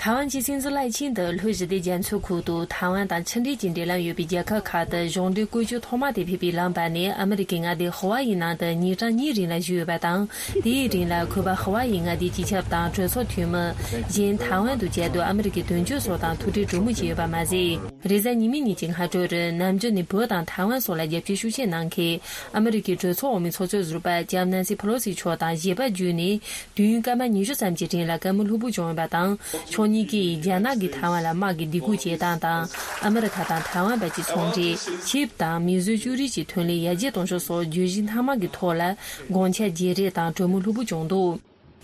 ཐའེ་ཝན་གྱི་སྲིད་འཛིན་ལའེ་ཆིང་དུ་ལྷོ་ཞི་བདེ་རྒྱ་མཚོའི་ཁུལ་དུ་ཐའེ་ཝན་དང་ཆིངས་འགྲིག་གི་འབྲེལ་ལམ་ཡོད་པའི་རྒྱལ་ཁབ་ཁག་ཏུ་གཞུང་འབྲེལ་བཀོད་ཇུས་ཐོག་མ་དེ་ཕེབས་པའི་ལམ་བར་ནས་ཨ་མི་རི་ཀའི་མངའ་སྡེ་ཧ་ཝཱ་ཡི་ནང་དུ་ཉིན་གྲངས་གཉིས་རིང་ལ་བཞུགས་ཡོད་པ་དང་། དེའི་རིང་ལ་ཁོས་པ་ཧ་ཝཱ་ཡི་མངའ་སྡེའི་སྤྱི་ཁྱབ་དང་གྲོས་ཚོགས་འཐུས་མི། གཞན་ཐའེ་ཝན་དུ་བཅའ་སྡོད་ཨ་མི་རི་ཀའི་དོན་གཅོད་སོགས་དང་ཐུག་འཕྲད་གྲོས་མོལ་བྱས་ཡོད་པ་མ་ཟད། རེས་གཟའ་ཉི་མའི་ཉིན་གྱི་སྔ་དྲོར་ནམ་རྒྱུན་ནས་བོད་དང་ཐའེ་ཝན་སོགས་ལ་རྒྱབ་སྐྱོར་ཤུགས་ཆེ་གནང་མཁན་ཨ་མི་རི་ཀའི་གྲོས་ཚོགས་འོག་མའི་ཚོགས་གཙོ་ཟུར་པ་ལྕམ་ནན་སི་ཕེ་ལོ་སི་མཆོག་དང་ཞལ་པར་བརྒྱུད་ནས། དུས་ཡུན་སྐར་མ་ཉི་ཤུ་ཙམ་གྱི་རིང་ལ་བཀའ་མོལ་ལྷུག་པོ་བྱུང་ཡོད་པ་དང་། ཕྱོགས་གཉིས་ཀས་རྒྱ་ནག་གིས་ཐའེ་ཝན་ལ་དམག་གི་སྡིགས་སྐུལ་བྱེད་སྟངས་དང་། ཨ་མི་རི་ཁ་དང་ཐའེ་ཝན་བར་གྱི་ཚོང་འབྲེལ། ཆིབས་དང་མིས་བཟོས་ཅོ་རིགས་ཀྱི་ཐོན་ལས་ཡར་རྒྱས་གཏོང་ཕྱོགས་སོགས་བརྗོད་གཞི་སྣ་མང་གི་ཐོག་ལ་དགོངས་འཆར་བརྗེ་རེས་དང་གྲོས་མོལ་ལྷུག་པོ་བྱུང་འདུག་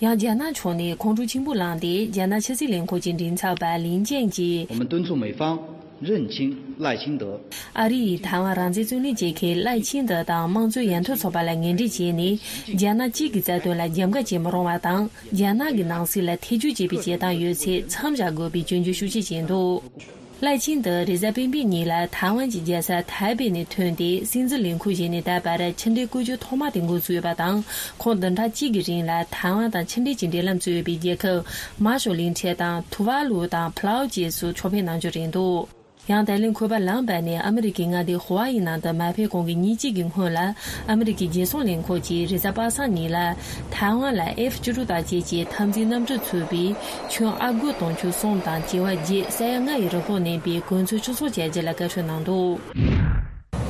ཡང་རྒྱ་ནག་ཕྱོགས་ནས་ཁོང་ཁྲོ་ཆེན་པོ་ལངས་ཏེ། རྒྱ་ནག་ཕྱི་སྲིད་ལས་ཁུངས་ཀྱི་མགྲིན་ཚབ་པ་ལིན་ཅན་གྱིས། 我们敦促美方认清赖清德。 ཨ་རི་ཡིས་ཐའེ་ཝན་རང་བཙན་རྩོད་ལེན་བྱེད་མཁན་ལའེ་ཆིང་ཏེ་དང་དམངས་གཙོའི་ཡར་ཐོན་ཚོགས་པ་ལ་ངན་འབྲེལ་བྱས་ནས། རྒྱ་ནག་གཅིག་གི་རྩ་དོན་ལ་རྒྱབ་འགལ་བྱེད་མི་རུང་བ་དང་། རྒྱ་ནག་གི་ནང་སྲིད་ལ་ཐེ་ཇུས་བྱེད་པའི་བྱེད་སྟངས་ཡོད་ཚད་མཚམས་བཞག་དགོས་པའི་སྐྱོན་བརྗོད་ཤུགས་ཆེ་བྱས་འདུག་ལའེ་ཆིང་ཏེ་རེས་གཟའ་སྤེན་པའི་ཉིན་ལ་ཐའེ་ཝན་གྱི་རྒྱལ་ས་ཐའེ་པེ་ནས་ཐོན་ཏེ། སྲིད་འཛིན་ལས་ཁུངས་བཞེས་ནས་ད་བར་ཕྱི་འབྲེལ་བཀོད་ཇུས་ཐོག་མ་དེ་འགོ་ཚུགས་ཡོད་པ་དང་། ཁོང་བདུན་ཕྲག་གཅིག་གི་རིང་ལ་ཐའེ་ཝན་དང་ཕྱི་འབྲེལ་གྱི་འབྲེལ་ལམ་བཙུགས་ཡོད་པའི་རྒྱལ་ཁབ་མར་ཤལ་གླིང་ཕྲན་དང་ཐུ་ཝཱ་ལུ་དང་ཕ་ལའོ་བཅས་སུ་ཕྱོགས་ཕེབས་གནང་རྒྱུ་རེད་འདུག་ཡང་ད་ལན་ཁོས་པ་ལམ་བར་ནས་ཨ་མི་རི་ཀའི་མངའ་སྡེ་ཧ་ཝཱ་ཡི་ནང་དུ་མ་ཕེབས་གོང་གི་ཉིན་གཅིག་གི་སྔོན་ལ། ཨ་མི་རི་ཀའི་རྒྱལ་སྲུང་ལས་ཁུངས་ཀྱིས་རེས་གཟའ་པ་སངས་ཉིན་ལ་ཐའེ་ཝན་ལ་ཨེཕ་བཅུ་དྲུག་དང་བཅས་ཀྱི་འཐབ་འཛིང་གནམ་གྲུ་ཚུད་པའི་ཁྱོན་ཨ་སྒོར་དུང་ཕྱུར་གསུམ་དང་བྱེ་བ་བརྒྱད་ས་ཡ་ལྔ་ཡི་རིན་གོང་ལྡན་པའི་གོ་མཚོན་ཕྱིར་ཚོང་བྱ་རྒྱུ་ལ་བཀའ་འཁྲོལ་གནང་འདུག་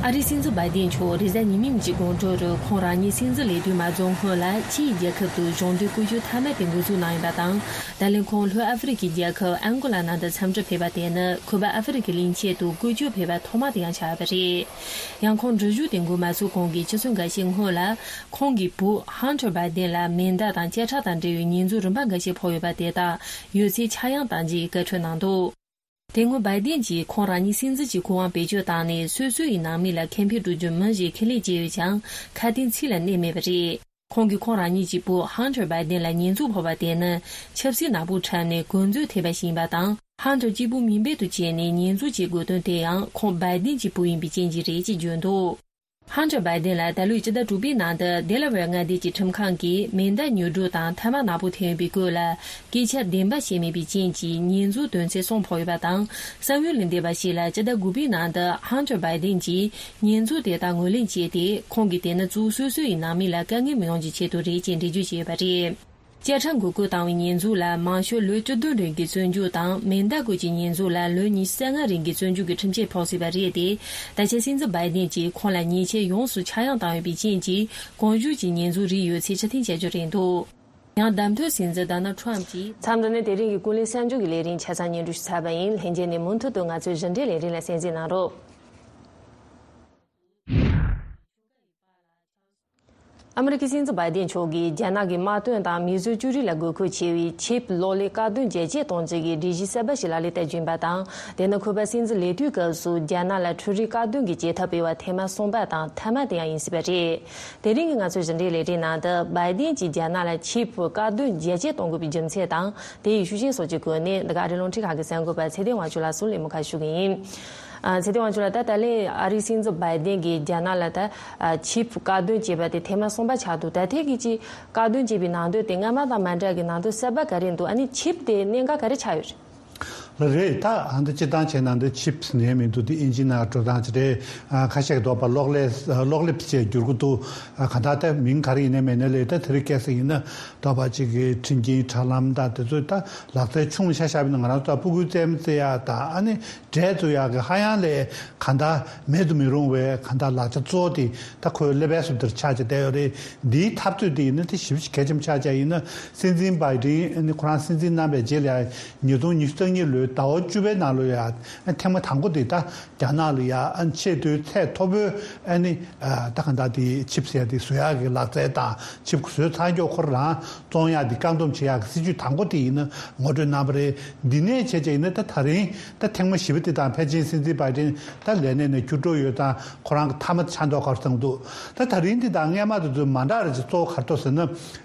ཨ་རིའི་སྲིད་འཛིན་བྷའི་ཏིན་མཆོག་རེས་གཟའ་ཉི་མའི་ཉིན་གྱི་དགོང་དྲོར་ཁོང་རང་ཉིད་སྲིད་འཛིན་ལས་དོན་མ་རྫོགས་སྔོན་ལ་ཕྱིའི་རྒྱལ་ཁབ་ཏུ་གཞུང་འབྲེལ་བཀོད་ཇུས་མཐའ་མ་དེ་འགོ་འཛུགས་གནང་ཡོད་པ་དང་། ད་ལན་ཁོང་ལྷོ་ཨ་ཧྥེ་རི་ཁའི་རྒྱལ་ཁབ་ཨན་གོ་ལ་ནང་དུ་འཚམས་འདྲིར་ཕེབས་པ་དེ་ནི་ཁུ་པ་ཨ་ཧྥེ་རི་ཁའི་གླིང་ཆེན་དུ་བཀོད་ཇུས་ཕེབས་པ་ཐོག་མ་དེ་ཡང་ཆགས་པ་རེད། ཡང་ཁོང་འགྲུལ་བཞུད་དེ་འགོ་མ་ཚུགས་གོང་གི་ཆུ་ཚོད་འགའ་ཤས་སྔོན་ལ། ཁོང་གི་བུ་ཧན་ཐར་བྷའི་ཏིན་ལ་མེ་མདའ་དང་བཅད་ཁྲ་དང་འབྲེལ་བའི་ཉེས་འཛུགས་རིམ་པ་འགའ་ཤས་ཕོག་ཡོད་པ་དེ་དག་ཡོད་ཚད་ཆག་ཡང་གཏང་རྒྱུའི་བཀའ་འཁྲོལ་གནང་འདུག་དེ་སྔོན་བྷའི་ཏིན་གྱིས་ཁོང་རང་ཉིད་སྲིད་འཛིན་གྱི་སྐུ་དབང་བེད་སྤྱོད་བཏང་ནས། སོ་སོ་ཡི་ནང་མི་ལ་ཁེ་ཕན་སྒྲུབ་རྒྱུ་མིན་ཞེས་ཁས་ལེན་བྱས་ཡོད་ཀྱང་། ཁ་དན་ཚིག་ལ་གནས་མེད་པ་རེད། ཁོང་གིས་ཁོང་རང་ཉིད་ཀྱི་བུ་ཧན་ཐར་བྷའི་ཏིན་ལ་ཉེས་འཛུགས་ཕོག་པ་དེ་ནི་ཆབ་སྲིད་ནག་པོ་འཁྲབ་ནས་གོ་འཛོལ་ཐེབས་པ་ཞིག་ཡིན་པ་དང་། ཧན་ཐར་གཅིག་པུ་མིང་འབོད་དུ་བྱས་ནས་ཉེས་འཛུགས་བྱེད་དགོས་དོན་དེ་ཡང་ཁོང་བྷའི་ཏིན་གྱི་བུ་ཡིན་པའི་རྐྱེན་གྱིས་རེད་ཅེས་བརྗོད་འདུག་ཧན་ཐར་བྷའི་ཏིན་ལ་ད་ལོའི་སྤྱི་ཟླ་དྲུག་པའི་ནང་དུ་ཌེ་ལ་ཝེར་མངའ་སྡེ་གྱི་ཁྲིམས་ཁང་གིས་མེ་མདའ་ཉོ་སྒྲུག་དང་ཐ་མག་ནག་པོ་འཐེན་ཡོད་པའི་སྐོར་ལ་སྐད་ཆ་བདེན་པ་བཤད་མེད་པའི་རྐྱེན་གྱིས་ཉེས་འཛུགས་དོན་ཚན་གསུམ་ཕོག་ཡོད་པ་དང་། གསང་བའི་ལུང་འདྲེན་པ་ཞིག་ལ་སྤྱི་ཟླ་དགུ་པའི་ནང་དུ་ཧན་ཐར་བྷའི་ཏིན་གྱིས་ཉེས་འཛུགས་དེ་དག་ངོས་ལེན་བྱས་ཏེ། ཁོང་གིས་དེ་ནི་གཙོ་བོ་སོ་སོ་ཡི་ནང་མི་ལ་དཀའ་ངལ་མི་ཡོང་རྒྱུའི་ཆེད་དུ་རེད་ཅེས་འགྲེལ་བརྗོད་བྱས་ཡོད་པ་རེད། བཅད་ཁྲ་འགོག་རྒོལ་བཏང་བའི་ཉེས་འཛུགས་ལ་མང་ཤོས་ལོ་བཅུ་བདུན་རིང་གི་བཙོན་འཇུག་དང་། མེ་མདའ་སྐོར་གྱི་ཉེས་འཛུགས་ལ་ལོ་ཉི་ཤུ་རྩ་ལྔ་རིང་གི་བཙོན་འཇུག་གི་ཁྲིམས་ཆད་ཕོག་སྲིད་པ་རེད་དེ། ད་ཆ་སྲིད་འཛིན་བྷའི་ཏིན་གྱིས་ཁོང་ལ་ཉེས་ཆད་ཡོངས་སུ་ཆག་ཡང་བཏང་ཡོད་པའི་རྐྱེན་གྱིས། གོང་ཞུས་ཀྱི་ཉེས་འཛུགས་རིགས་ཡོད་ཚད་ཕྱིར་འཐེན་བྱ་རྒྱུ་རེད་འདུག་ཡང་བདམས་ཐོན་སྲིད་འཛིན་ཌོ་ནལ་ཊམ་གྱིས། མཚམས་འདི་ནས་དེ་རིང་གི་ཀུན་གླེང་གསར་འགྱུར་གྱི་ལས་རིམ་ཆ་ཚང་སྙན་སྒྲོན་ཞུ་ཚར་བ་ཡིན། ལྷན་རྒྱས་ནས་མུ་མཐུད་དུ་ང་ཚོའི་རིན་བསྲེལ་ལས་རིམ་ལ་གསན་གཟིགས་གནང་རོགས། ཨ་མི་རི་ཀའི་སྲིད་འཛིན་བྷའི་ཏིན་མཆོག་གིས་རྒྱ་ནག་གི་དམག་དོན་དང་མིས་བཟོས་ཅོ་རིགས་ལ་དགོས་མཁོ་ཆེ་བའི་ཆིབ་གློག་ཀླད་བཀག་སྡོམ་རྒྱ་སྐྱེད་གཏོང་རྩིས་ཀྱི་སྒྲིག་གཞི་གསར་པ་ཞིག་ལག་ལེན་བསྟར་རྒྱུ་ཡིན་པ་དང་། དེ་ནི་ཁོ་པ་སྲིད་འཛིན་ལས་དུས་སྐབས་སུ་རྒྱ་ནག་ལ་འཕྲུལ་རིག་བཀག་སྡོམ་གྱི་བྱེད་ཐབས་སྤེལ་བ་ཐེངས་མ་གསུམ་པ་དང་མཐའ་མ་དེ་ཡང་ཡིན་སྲིད་པ་རེད། དེ་རིང་གི་ང་ཚོའི་རིན་བསྲེལ་ལས་རིམ་ནང་དུ་བྷའི་ཏིན་གྱིས་རྒྱ་ནག་ལ་ཆིབ་བཀག་སྡོམ་རྒྱ་སྐྱེད་གཏོང་དགོས་པའི་རྒྱུ་མཚན་དང་། དེ་ཡི་ཤུགས་རྐྱེན་སོགས་ཀྱི་སྐོར་ནས་འདི་ག་ཨ་རིའི་རླུང་འཕྲིན་ཁང་གི་གསར་འགོད་པ་ཚེ་བརྟན་དབང་ཕྱུག་ལགས་སུ་གླེང་མོལ་ཁ་ཞུ་གི་ཡིན། ཨ། ཚེ་བརྟན་དབང་ཕྱུག་ལགས། ད་ད་ལན་ཨ་རིའི་སྲིད་འཛིན་བྷའི་ཏིན་གྱིས་རྒྱ་ནག་ལ་ད་ཨ་ཆིབ་བཀག་སྡོམ་བྱས་པ་དེ་ཐེངས་མ་གསུམ་པ་ཆགས་འདུག་ད་ཐེངས་ཀྱི་ཆིབ་བཀག་སྡོམ་བྱས་པའི་ནང་དོན་དེ་སྔ་མ་དང་མ་འདྲ་གི་ནང་དོན་གསར་པ་ག་རེ་འདུག་ཨ་ནི་ཆིབ་དེ་གནད་འགག་ག་རེ་ཆགས་ཡོད་རེད། ལ་རེད། ད་ཨ་འདི་སྤྱིར་བཏང་བྱས་ན་འདི་ཆིབས་ཟེར་ནས་མི་འདུག་འདི་ཨིན་ཇི་ནང་འགྲོ་སྟངས་ཅིག་རེད། ཨ་ཁ་ཤས་ཀྱིས་འདོད་པ་གློག་ཀླད་གློག་ཀླད་ཅེས་བསྒྱུར་གྱི་འདུག་ཨ་གང་ལྟར་ད་མིང་ག་རེ་ཡིན་ནའི་མིན་ནའི་ལས་ད་དེ་རིང་ཁ་སང་ཡིན་ན་འདོད་པ་ཅིག་གི་ཁྲིམས་འགལ་དྲ་ལམ་དང་དེ་ཚོ་ད་ལག་རྩལ་ཆུང་ཆ་བཞག་པ་ཡིན་ན་ང་རང་ཚོ་ད་སྤུ་གུའི་རྩེད་མོ་རྩེ་ཡག་དང་ཨ་ནི་འབྲས་བཙུགས་ཡག་གི་ཧ་ཡང་ལས་གང་ལྟར་མེད་དུ་མི་རུང་བའི་གང་ལྟར་ལག་ཆ་གཙོ་བོ་དེ་ད་ཁོའི་ཀླད་པའི་ཟུར་དེར་ཆགས་བྱས་བསྡད་ཡོད་རེད། འདིའི་འཐབ་རྩོད་དེ་ཡིན་ན་དེ་ཞེ་པོ་ཅིག་གལ་ཆེན་པོ་ཆགས་བྱས་ཡིན་ན། སྲིད་འཛིན་བྷའི་ཌེན་ཨ་ནི་ཁོ་རང་སྲིད་འཛིན་གནང་བའི་རྗེས་ལ་ཉིས་སྟོང་ཉི་ཤུ་རྩ་གཉིས་ལོའི་ཟླ་བ་བཅུ་པའི་ནང་ལོ་ཡ་ཨ་ཐེངས་མ་དང་པོ་དེ་ད་རྒྱ་ནག་ལ་ཡ་ཨ་ཆེས་མཐོའི་ཚད་མཐོ་པོའི་ཨ་ནི་ཨ་ད་ག་འདྲ་དེ་ཆིབས་ཟེར་ཡ་དེ་བཟོ་ཡག་གི་ལག་རྩལ་དང་ཆིབས་བཟོས་ཚར་མགྱོགས་ཁོ་རང་བཙོང་ཡག་དེ་བཀག་སྡོམ་བྱེད་ཡག་གི་སྲིད་ཇུས་དང་པོ་དེ་ཡིན་ན་ངོ་སྤྲོད་གནང་བ་རེད། འདི་ནས་བྱས་བྱས་ཡིན་ན་ད་ད་རིང་ད་ཐེངས་མ་བཞི་པ་དེ་དང་ཕལ་ཆེར་སྲིད་འཛིན་བྷའི་ཌེན་ད་ལས་གནས་ནས་བསྐྱུར་འགྲོ་ཡོད་དང་ཁོ་རང་གི་མཐའ་མ་ཆགས་མདོག་ཁ་པོ་བཟོ་འདུག་ད་ད་རིང་འདི་དང་སྔས་མ་དེ་ཚོ་མ་འདྲ་རེད་ཅེས་གཙོ་བོ་ག་རེ་འདུག་ཟེར་ན།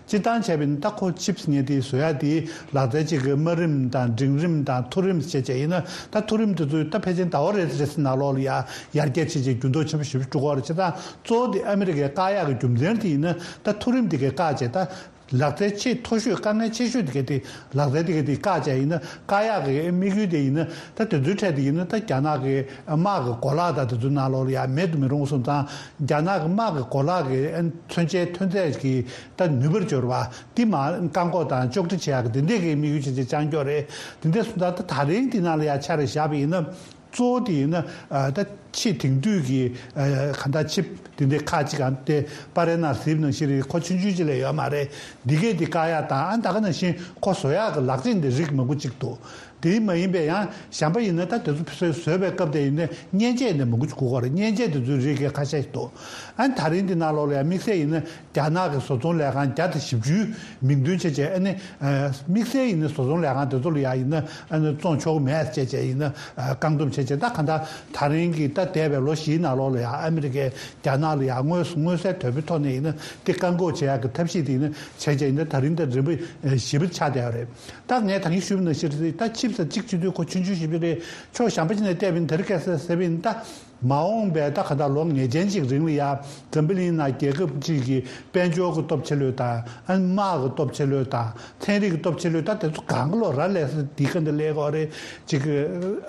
སྤྱིར་བཏང་བྱས་པ་ཡིན་ན་ད་ཁོ་ཆིབས་ཟེར་མཁན་དེ་བཟོ་ཡག་དེ་ལག་རྩལ་གཅིག་གི་དམའ་རིམ་དང་འབྲིང་རིམ་དང་མཐོ་རིམ་བྱས་བྱས་ཡིན་ན། ད་མཐོ་རིམ་དེ་ཚོ་ད་ཕལ་ཆེར་ཟླ་བ་རེ་རེ་ནང་ལོགས་ལ་ཡ་ཡར་རྒྱས་བྱས་བྱས་འགྱུར་ལྡོག་ཆེན་པོ་ཞེ་པོ་ཅིག་འགྲོ་གི་ཡོད་རེད། བྱས་ཙང་གཙོ་བོ་དེ་ཨ་མི་རི་ཀས་བཀག་ཡག་གི་རྒྱུ་མཚན་དེ་ཡིན་ན་ད་མཐོ་རིམ་དེ་གས་བཀག་བྱས་ད། ལག་རྩལ་ཆེས་མཐོ་ཤོས་དཀའ་ངལ་ཆེ་ཤོས་དེ་ག་དེ་ལག་རྩལ་དེ་ག་དེ་བཀག་བྱས་ཡིན་ན་བཀག་ཡག་གི་དམིགས་ཡུལ་དེ་ཡིན་ན་ད་དེ་ཚོའི་གྲས་དེ་ཡིན་ན་ད་རྒྱ་ནག་གི་དམག་གི་གོ་ལག་དང་དེ་ཚོའི་ནང་ལོགས་ལ་ཡ་མེད་དུ་མི་རུང་སོང་ཙང་རྒྱ་ནག་གི་དམག་གི་གོ་ལག་གི་མཚོན་ཆའི་ཐོན་རྫས་ཀྱི་ད་ནུས་པར་འབྱོར་བ་དེ་མར་བཀག་འགོག་དང་གཅོག་འཕྲི་བྱེད་ཡག་གི་དེ་འདྲས་ཀྱི་དམིགས་ཡུལ་བྱས་བྱས་བཅིངས་འགྲོལ་རེད། དེ་འདྲས་སོང་ཙང་ད་ད་རིང་དེ་ནང་ལ་ཡ་ཆ་རེ་བཞག་པ་ཡིན་ན། གཙོ་བོ་དེ་ཡིན་ན་ཨ་ད་ཆེས་དེང་དུས་ཀྱི་ཨ་ག་འདྲ་ཆིབས་དེ་འདྲའི་ཁག་ཅིག་གམ་དེ་པར་རིས་ནང་གཟིགས་ནང་བཞིན་རེད། ཁོ་ཆུང་ཆུང་ཅིག་ལས་ཡོད་མ་རེད། འདི་གས་དེ་བཀག་ཡག་དང་ཨ་ད་ག་ནང་བཞིན་ཁོ་བཟོ་ཡག་གི་ལག་ཆས་འདི་རིགས་མང་པོ་ཅིག་འདུག་དེ་མ་ཡིན་པའི་ཡང་གཞན་པ་ཡིན་ན་ད་དེ་ཚོ་བཟོས་བཟོས་པའི་སྐབས་དེ་ཡིན་ན་མཉེན་ཆས་འདི་མང་པོ་ཅིག་དགོས་ཀྱི་རེད། མཉེན་ཆས་དེ་ཚོའི་རིགས་གས་ཁ་ཤས་ཤིག་འདུག་ཨ་ད་རིང་འདི་ནང་ལོགས་ལ་ཡང་དམིགས་བསལ་ཡིན་ན། རྒྱ་ནག་གི་བཟོ་ཚོང་ལས་ཁང་བརྒྱ་དང་བཞི་བཅུའི་མིང་འདོན་བྱས་བྱས་ཨ་ནི་ཨ་དམིགས་བསལ་ཡིན་ན་བཟོ་ཚོང་ལས་ཁང་དེ་ཚོ་ལ་ཡ་ཡིན་ན་ཨ་ནི་བཙོང་ཆོག་གི་མེད་བྱས་བྱས་ཡིན་ན་ཨ་བཀག་སྡོམ་བྱས་བྱས། ད་གང་ལྟར་ད་རིང་གི་ད་འདས་པའི་ལོ་བཞིའི་ནང་ལོགས་ལ་ཡ་ཨ་མི་རི་ཀས་རྒྱ་ནག་ལ་ཡ་དངོས་སུ་མངོན་གསལ་དོད་པོའི་ཐོག་ནས་ཡིན་ན་དེ་བཀག་འགོག་བྱེད་ཡག་གི་ཐབས་ཤེས་དེ་ཡིན་ན་བྱས་བྱས་ཡིན་ན་ད་རིང་ད་རིམ་པ་བཞི་པ་ཆགས་བསྡད་ཡོད་རེད། ད་ངས་ད་གིན་ཞུས་པ་ནང་བཞིན་རེད། ད་ཆིབས་ས་གཅིག་བྱེད་དུས་ཁོ་ཆུང་ཆུང་ཞིག་རེད། ཕྱོགས་གཞན་པ་ཅིག་ནས་བལྟས་པ་ཡིན་ན་དེ་རིང་ཁ་སང་ཟེར་བ་ཡིན་ན་ད། མ་འོངས་པའི་ད་ག་ད་ལོ་ངེས་ཅན་ཅིག་རིང་ལ་ཡ་འཛམ་བུ་གླིང་ནང་རྒྱལ་ཁབ་ཅིག་གི་དཔལ་འབྱོར་གྱི་སྟོབས་ཆེ་ལོས་དང་ཨ་ནི་དམག་གི་སྟོབས་ཆེ་ལོས་དང་ཚན་རིག་གི་སྟོབས་ཆེ་ལོས་ད་དེ་ཚོ་གང་ག་ལོ་ར་ལས་སུ་འདི་ག་འདི་ལས་གོ་རེ་ཅིག་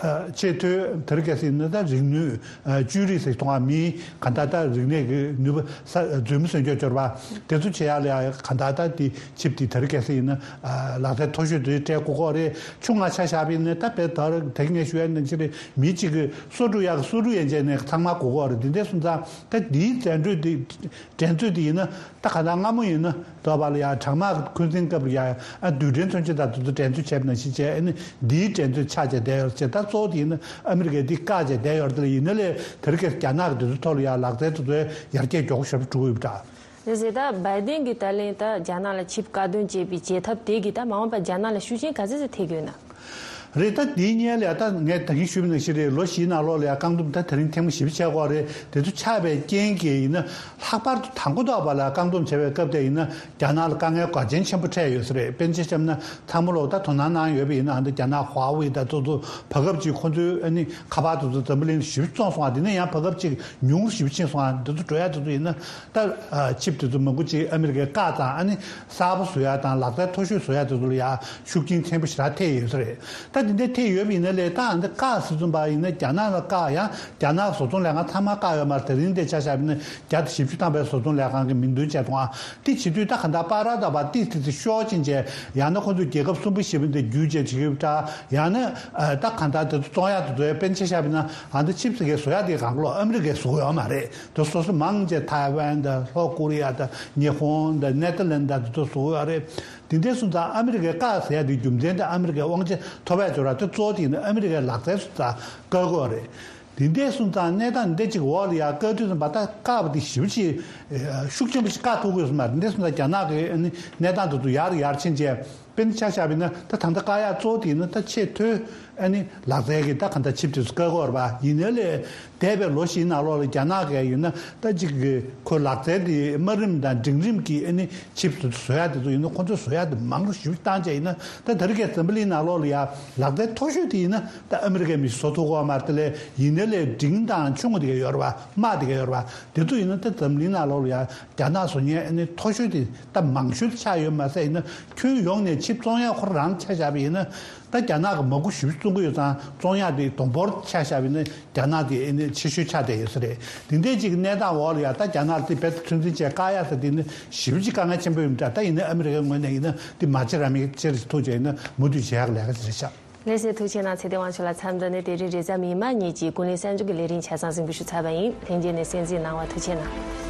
ཨ་ཆེས་མཐོའི་དེ་རིང་ཁ་སང་ནི་ད་རིག་ནུས་ཨ་བཅོས་རིག་ཟེར་མཐོང་བ་མིའི་ག་ད་ད་རིག་གནས་ཀྱི་ནུས་པ་ས་རྫུན་མ་སོན་སྐྱོ་སྦྱོར་བ་དེ་ཚོ་བྱེད་ཡ་ལ་ཡ་ག་ད་ད་དེ་ཆིབས་དེ་དེ་རིང་ཁ་སང་ཡིན་ན་ཨ་ལག་རྩལ་མཐོ་ཤོས་དེ་སྤྲད་དགོས་གོ་རེ་ཆུང་ང་ཆ་བཞག་པ་ཡིན་ན་ད་དཔེ་ད་རེས་ངས་ཞུ་ཡ་ནང་བཞིན་རེད། མི་གཅིག་གིས་སོ་འཁྲུ་ཡག་གི་སོ་འཁྲུ་ཡན་ཆད་ནས་ཚང་མ་དགོས་ཀྱི་ཡོད་རེད། འདི་འདྲ་སོང་ཙང་ད་འདིའི་འགྲན་རྩོད་འདི་འགྲན་རྩོད་འདི་ཡིན་ན་ད་ག་ད་སྔ་མོ་ཡིན་ན་དོ་བ་ལ་ཡ་གྲང་དམག་གི་འཁོན་འཛིན་སྐབས་ལ་ཡ་ཨ་རྡུལ་ཕྲན་མཚོན་ཆ་དང་དེ་ཚོ་འགྲན་རྩོད་བྱས་པ་ནང་བཞིན་བྱས། ཨ་ནི་འདིའི་འགྲན་རྩོད་ཆགས་བྱས་བསྡད་ཡོད་རེད། ད་གཙོ་བོ་དེ་ཡིན་ན་ཨ་མི་རི་ཀས་འདི་བཀག་བྱས་བསྡད་ཡོད་རེད། དེ་ལ་ཡིན་ན་ལས་དེ་རིང་ཁ་སང་རྒྱ་ནག་གི་དེ་ཚོའི་ཐོག་ལ་ཡ་ལག་རྩལ་དེ་ཚོའི་ཡར་རྒྱས་མགྱོགས་པོ་ཞེ་པོ་འགྲོ་གི་ཡོད་པ་འདྲ། རེད་ཟེར། ད་བྷའི་ཌེན་གྱིས་ད་ལན་ད་རྒྱ་ནག་ལ་ཆིབས་བཀག་སྡོམ་བྱས་པའི་བྱེད་ཐབས་དེ་གིས་ད་མ་འོངས་པར་རྒྱ་ནག་ལ་ཤུགས་རྐྱེན་ག་ཚད་ཙམ་ཐེབས་ཀྱི་ཡོད་ན། རེད། ད་འདིའི་སྔོན་ལ་ཡ་ད་ངས་ད་གིན་ཞུས་པ་ནང་བཞིན་རེད། ལོ་བཞིའི་ནང་ལོགས་ལ་ཡ་བཀག་སྡོམ་ད་དེ་རིང་ཐེངས་མ་བཞི་པ་བྱས་ཀྱི་ཡོད་རེད། དེ་ཚོ་ཆགས་པའི་རྐྱེན་གྱིས་ཡིན་ན་ལྷག་པར་དུ་དང་པོ་ཐོག་བར་ལ་བཀག་སྡོམ་བྱས་པའི་སྐབས་དེ་ཡིན་ན་རྒྱ་ནག་ལ་དཀའ་ངལ་འགངས་ཆེན་ཆེན་པོ་འཕྲད་ཡོད་ས་རེད། དཔེར་ན་ཆ་བཞག་ན་ཚང་མ་ལོག་ད་དོ་སྣང་གནང་ཡོད་པ་ཡིན་ན་ཨ་ནི་རྒྱ་ནག་ཧྭ་ཝེ་ད་ཚོ་ཚོ་བར་སྐབས་ཅིག་ཁོ་ཚོའི་ཨ་ནི་ཁ་པར་དེ་ཚོ་འཛམ་བུ་གླིང་ཞེ་པོ་བཙོངས་སོང་བ། དེ་ནས་ཡང་བར་སྐབས་ཅིག་ཉུང་རུ་ཞེ་པོ་ཕྱིན་སོང་བ། འདི་ཚོ་འགྲོ་ཡ་དེ་ཚོ་ཡིན་ན། ད་ཨ་ཆིབས་དེ་ཚོ་མང་པོ་ཅིག་ཨ་མི་རི་ཀས་བཀག་དང་ཨ་ནི་གསར་པ་བཟོ་ཡ་དང་ལག་རྩལ་མཐོ་ཤོས་བཟོ་ཡ་དེ་ཚོ་ལ་ཡ་ཤུགས་རྐྱེན་ཆེན་པོ་ཞེ་དྲག་ཐེབས་ཡོད་ས་རེད། ད་དེ་འདྲ་ཐེབས་ཡོད་པ་ཡིན་ན་ལས་ད་ཨ་འདི་བཀག་ཟེར་ཙམ་པ་ཡིན་ན་རྒྱ་ནག་ལ་བཀག་ཡང་རྒྱ་ནག་བཟོ་ཚོང་ལས་ཁང་ཚང་མ་བཀག་ཡོད་མ་རེད། དེ་རིང་འདི་ཆ་བཞག་པ་ཡིན་ན་བརྒྱ་དང་བཞི་བཅུ་ཐམ་པའི་བཟོ་ཚོང་ལས་ཁང་གི་མིང་འདོན་བྱས་སོང་ཨ། དེ་བྱེད་དུས་ད་ག་འདྲ་པ་ར་ད་པ་ཏིས་ཏིས་ཏིས་ཤོག་ཕྱིན་བྱས་ཡང་ན་ཁོ་ཚོས་རྒྱལ་ཁབ་གསུམ་པོ་བཞི་པ་འདི་བརྒྱུད་བྱས་བྱེད་ཀྱི་ཡོད་འདྲ། ཡང་ན་ད་ག་འདྲ་དེ་ཚོ་བཙོང་ཡ་དེ་ཚོ་ཡ་དཔེར་ན་ཆ་བཞག་པ་ཡིན་ན་ཨ་འདི་ཆིབས་ཟེར་མཁན་བཟོ་ཡ་དེ་གང་ལོ་ཨ་མི་རི་ཀས་བཟོ་གི་ཡོད་མ་རེད། དེ་སོ་སོ་མང་ཆེ་ཐའེ་ཝན་དང་ལྷོ་ཀོ་རི་ཡ་དང་ཉི་ཧོང་དང་ནེ་ཐར་ལན་དང་དེ་ཚོ་བཟོ་གི་ཡོད་རེད། དེ་འདྲའི་སོང་ཙང་ཨ་མི་རི་ཀས་བཀག་ཟེར་ཡ་དེ་རྒྱུ་མཚན་དེ་ཨ་མི་རི་ཀའི་དབང་ཆ་ཐོབ་པའི་འབྱོར་བ་དེ་གཙོ་བོ་དེ་ཡིན་ན་ཨ་མི་རི་ཀའི་ལག་རྩལ་སོང་ཙང་བཀག་དགོས་རེད། དེ་འདྲའི་སོང་ཙང་གནས་སྟངས་འདི་གཅིག་འོག་ལ་ཡ་བཀག་དུས་ཙམ་པ་ད་བཀག་པ་དེ་ཞེ་པོ་ཅིག་ཤུགས་ཆེན་པོ་ཞིག་བཀག་ཐུབ་དགོས་སོང་མ་རེད། འདི་འདྲའི་སོང་ཙང་རྒྱ་ནག་གི་ཨ་ནི་གནས་སྟངས་དེ་ཚོ་ཡར་ཡར་ཕྱིན་བྱས། དཔེར་ན་ཆ་བཞག་པ་ཡིན་ན་ད་ད་ལྟ་བཀག་ཡག་གཙོ་བོ་དེ་ཡིན་ན་ད་ཆེས་མཐོའི་ཨ་ནི་ལག་རྩལ་གྱི་ད་ག་འདྲ་ཆིབས་དེ་ཚོ་བཀག་དགོས་རེད་པ། ཡིན་ནའི་ལས་འདས་པའི་ལོ་བཞིའི་ནང་ལོགས་ལ་རྒྱ་ནག་གིས་ཡིན་ན་ད་ཅིག་གི་ཁོའི་ལག་རྩལ་དེ་དམའ་རིམ་དང་འབྲིང་རིམ་གྱི་ཨ་ནི་ཆིབས་དེ་ཚོ་བཟོ་ཡག་དེ་ཚོ་ཡིན་ན་ཁོ་ཚོས་བཟོ་ཡག་དེ་མང་རུ་ཞེ་པོ་བཏང་བྱས་ཡིན་ན་ད་དེ་རིང་ཁ་སང་འཛམ་བུ་གླིང་ནང་ལོགས་ལ་ཡ་ལག་རྩལ་མཐོ་ཤོས་དེ་ཡིན་ན་ད་ཨ་མི་རི་ཀས་མི་བཟོ་ཐུབ་ཀྱི་ཡོད་མ་རེད། དེ་ལས་ཡིན་ནའི་ལས་འབྲིང་དང་ཆུང་དེ་ག་ཡོད་རེད་པ། དམའ་དེ་ག་ཡོད་རེད་པ། དེ་ཚོ་ཡིན་ན་ད་འཛམ་གླིང་ནང་ལོགས་ལ་ཡ་རྒྱ་ནག་བཟོ་མཁན་ཨ་ནི་མཐོ་ཤོས་དེ་ད་མང་ཤོས་ཆགས་ཡོད་མ་ཟད་ཡིན་ན་ཁྱོན་ཡོངས་ནས་ ཅིག་བཙོང་ཡག་ཁོ་རང་ཆ་བཞག་པ་ཡིན་ན། ད་རྒྱ་ནག་གི་མ་སྒོར་ཞེ་པོ་བཙོང་གི་ཡོད་ཙང་བཙོང་ཡག་དེ་དོ་ཕོག་ཆ་བཞག་པ་ཡིན་ན་རྒྱ་ནག་དེ་ཨེ་ནི་ཆེ་ཤོས་ཆགས་བསྡད་ཡོད་ས་རེད། དེ་འདྲའི་ཅིག་གནས་སྟངས་འོག་ལ་ཡ་ད་རྒྱ་ནག་དེ་རྦད་དེ་ཚོད་འཛིན་བྱས་བཀག་ཡག་ས་དེ་ནི་ཞེ་པོ་ཅིག་དཀའ་ངལ་ཆེན་པོ་ཡོད་མི་འདྲ། ད་ཡིན་ན་ཨ་མི་རི་ཀའི་ངོས་ནས་ཡིན་ན་དེ་མ་བྱེད་ར་མི་བྱེད་རེ་ཐུགས་རྗེ་ཡིན་ན་མུ་མཐུད་བྱེད་ཡག་ལས་ཀ་ཅིག་རེད་ཤག་ལགས་སོ། ཐུགས་རྗེ་གནང་། ཚེ་བརྟན་དབང་ཕྱུག་ལགས། མཚམས་འདི་ནས་དེ་རིང་རེས་གཟའ་མིག་དམར་ཉིན་གྱི་ཀུན་གླེང་གསར་འགྱུར་གྱི་ལས་རིམ་ཆ་ཚང་གཟིགས་འབུལ་ཞུ་ཚར་བ་ཡིན། ལྷན་རྒྱས་ནས་གསན་གཟིགས་གནང་བར་ཐུགས་རྗེ་གནང་།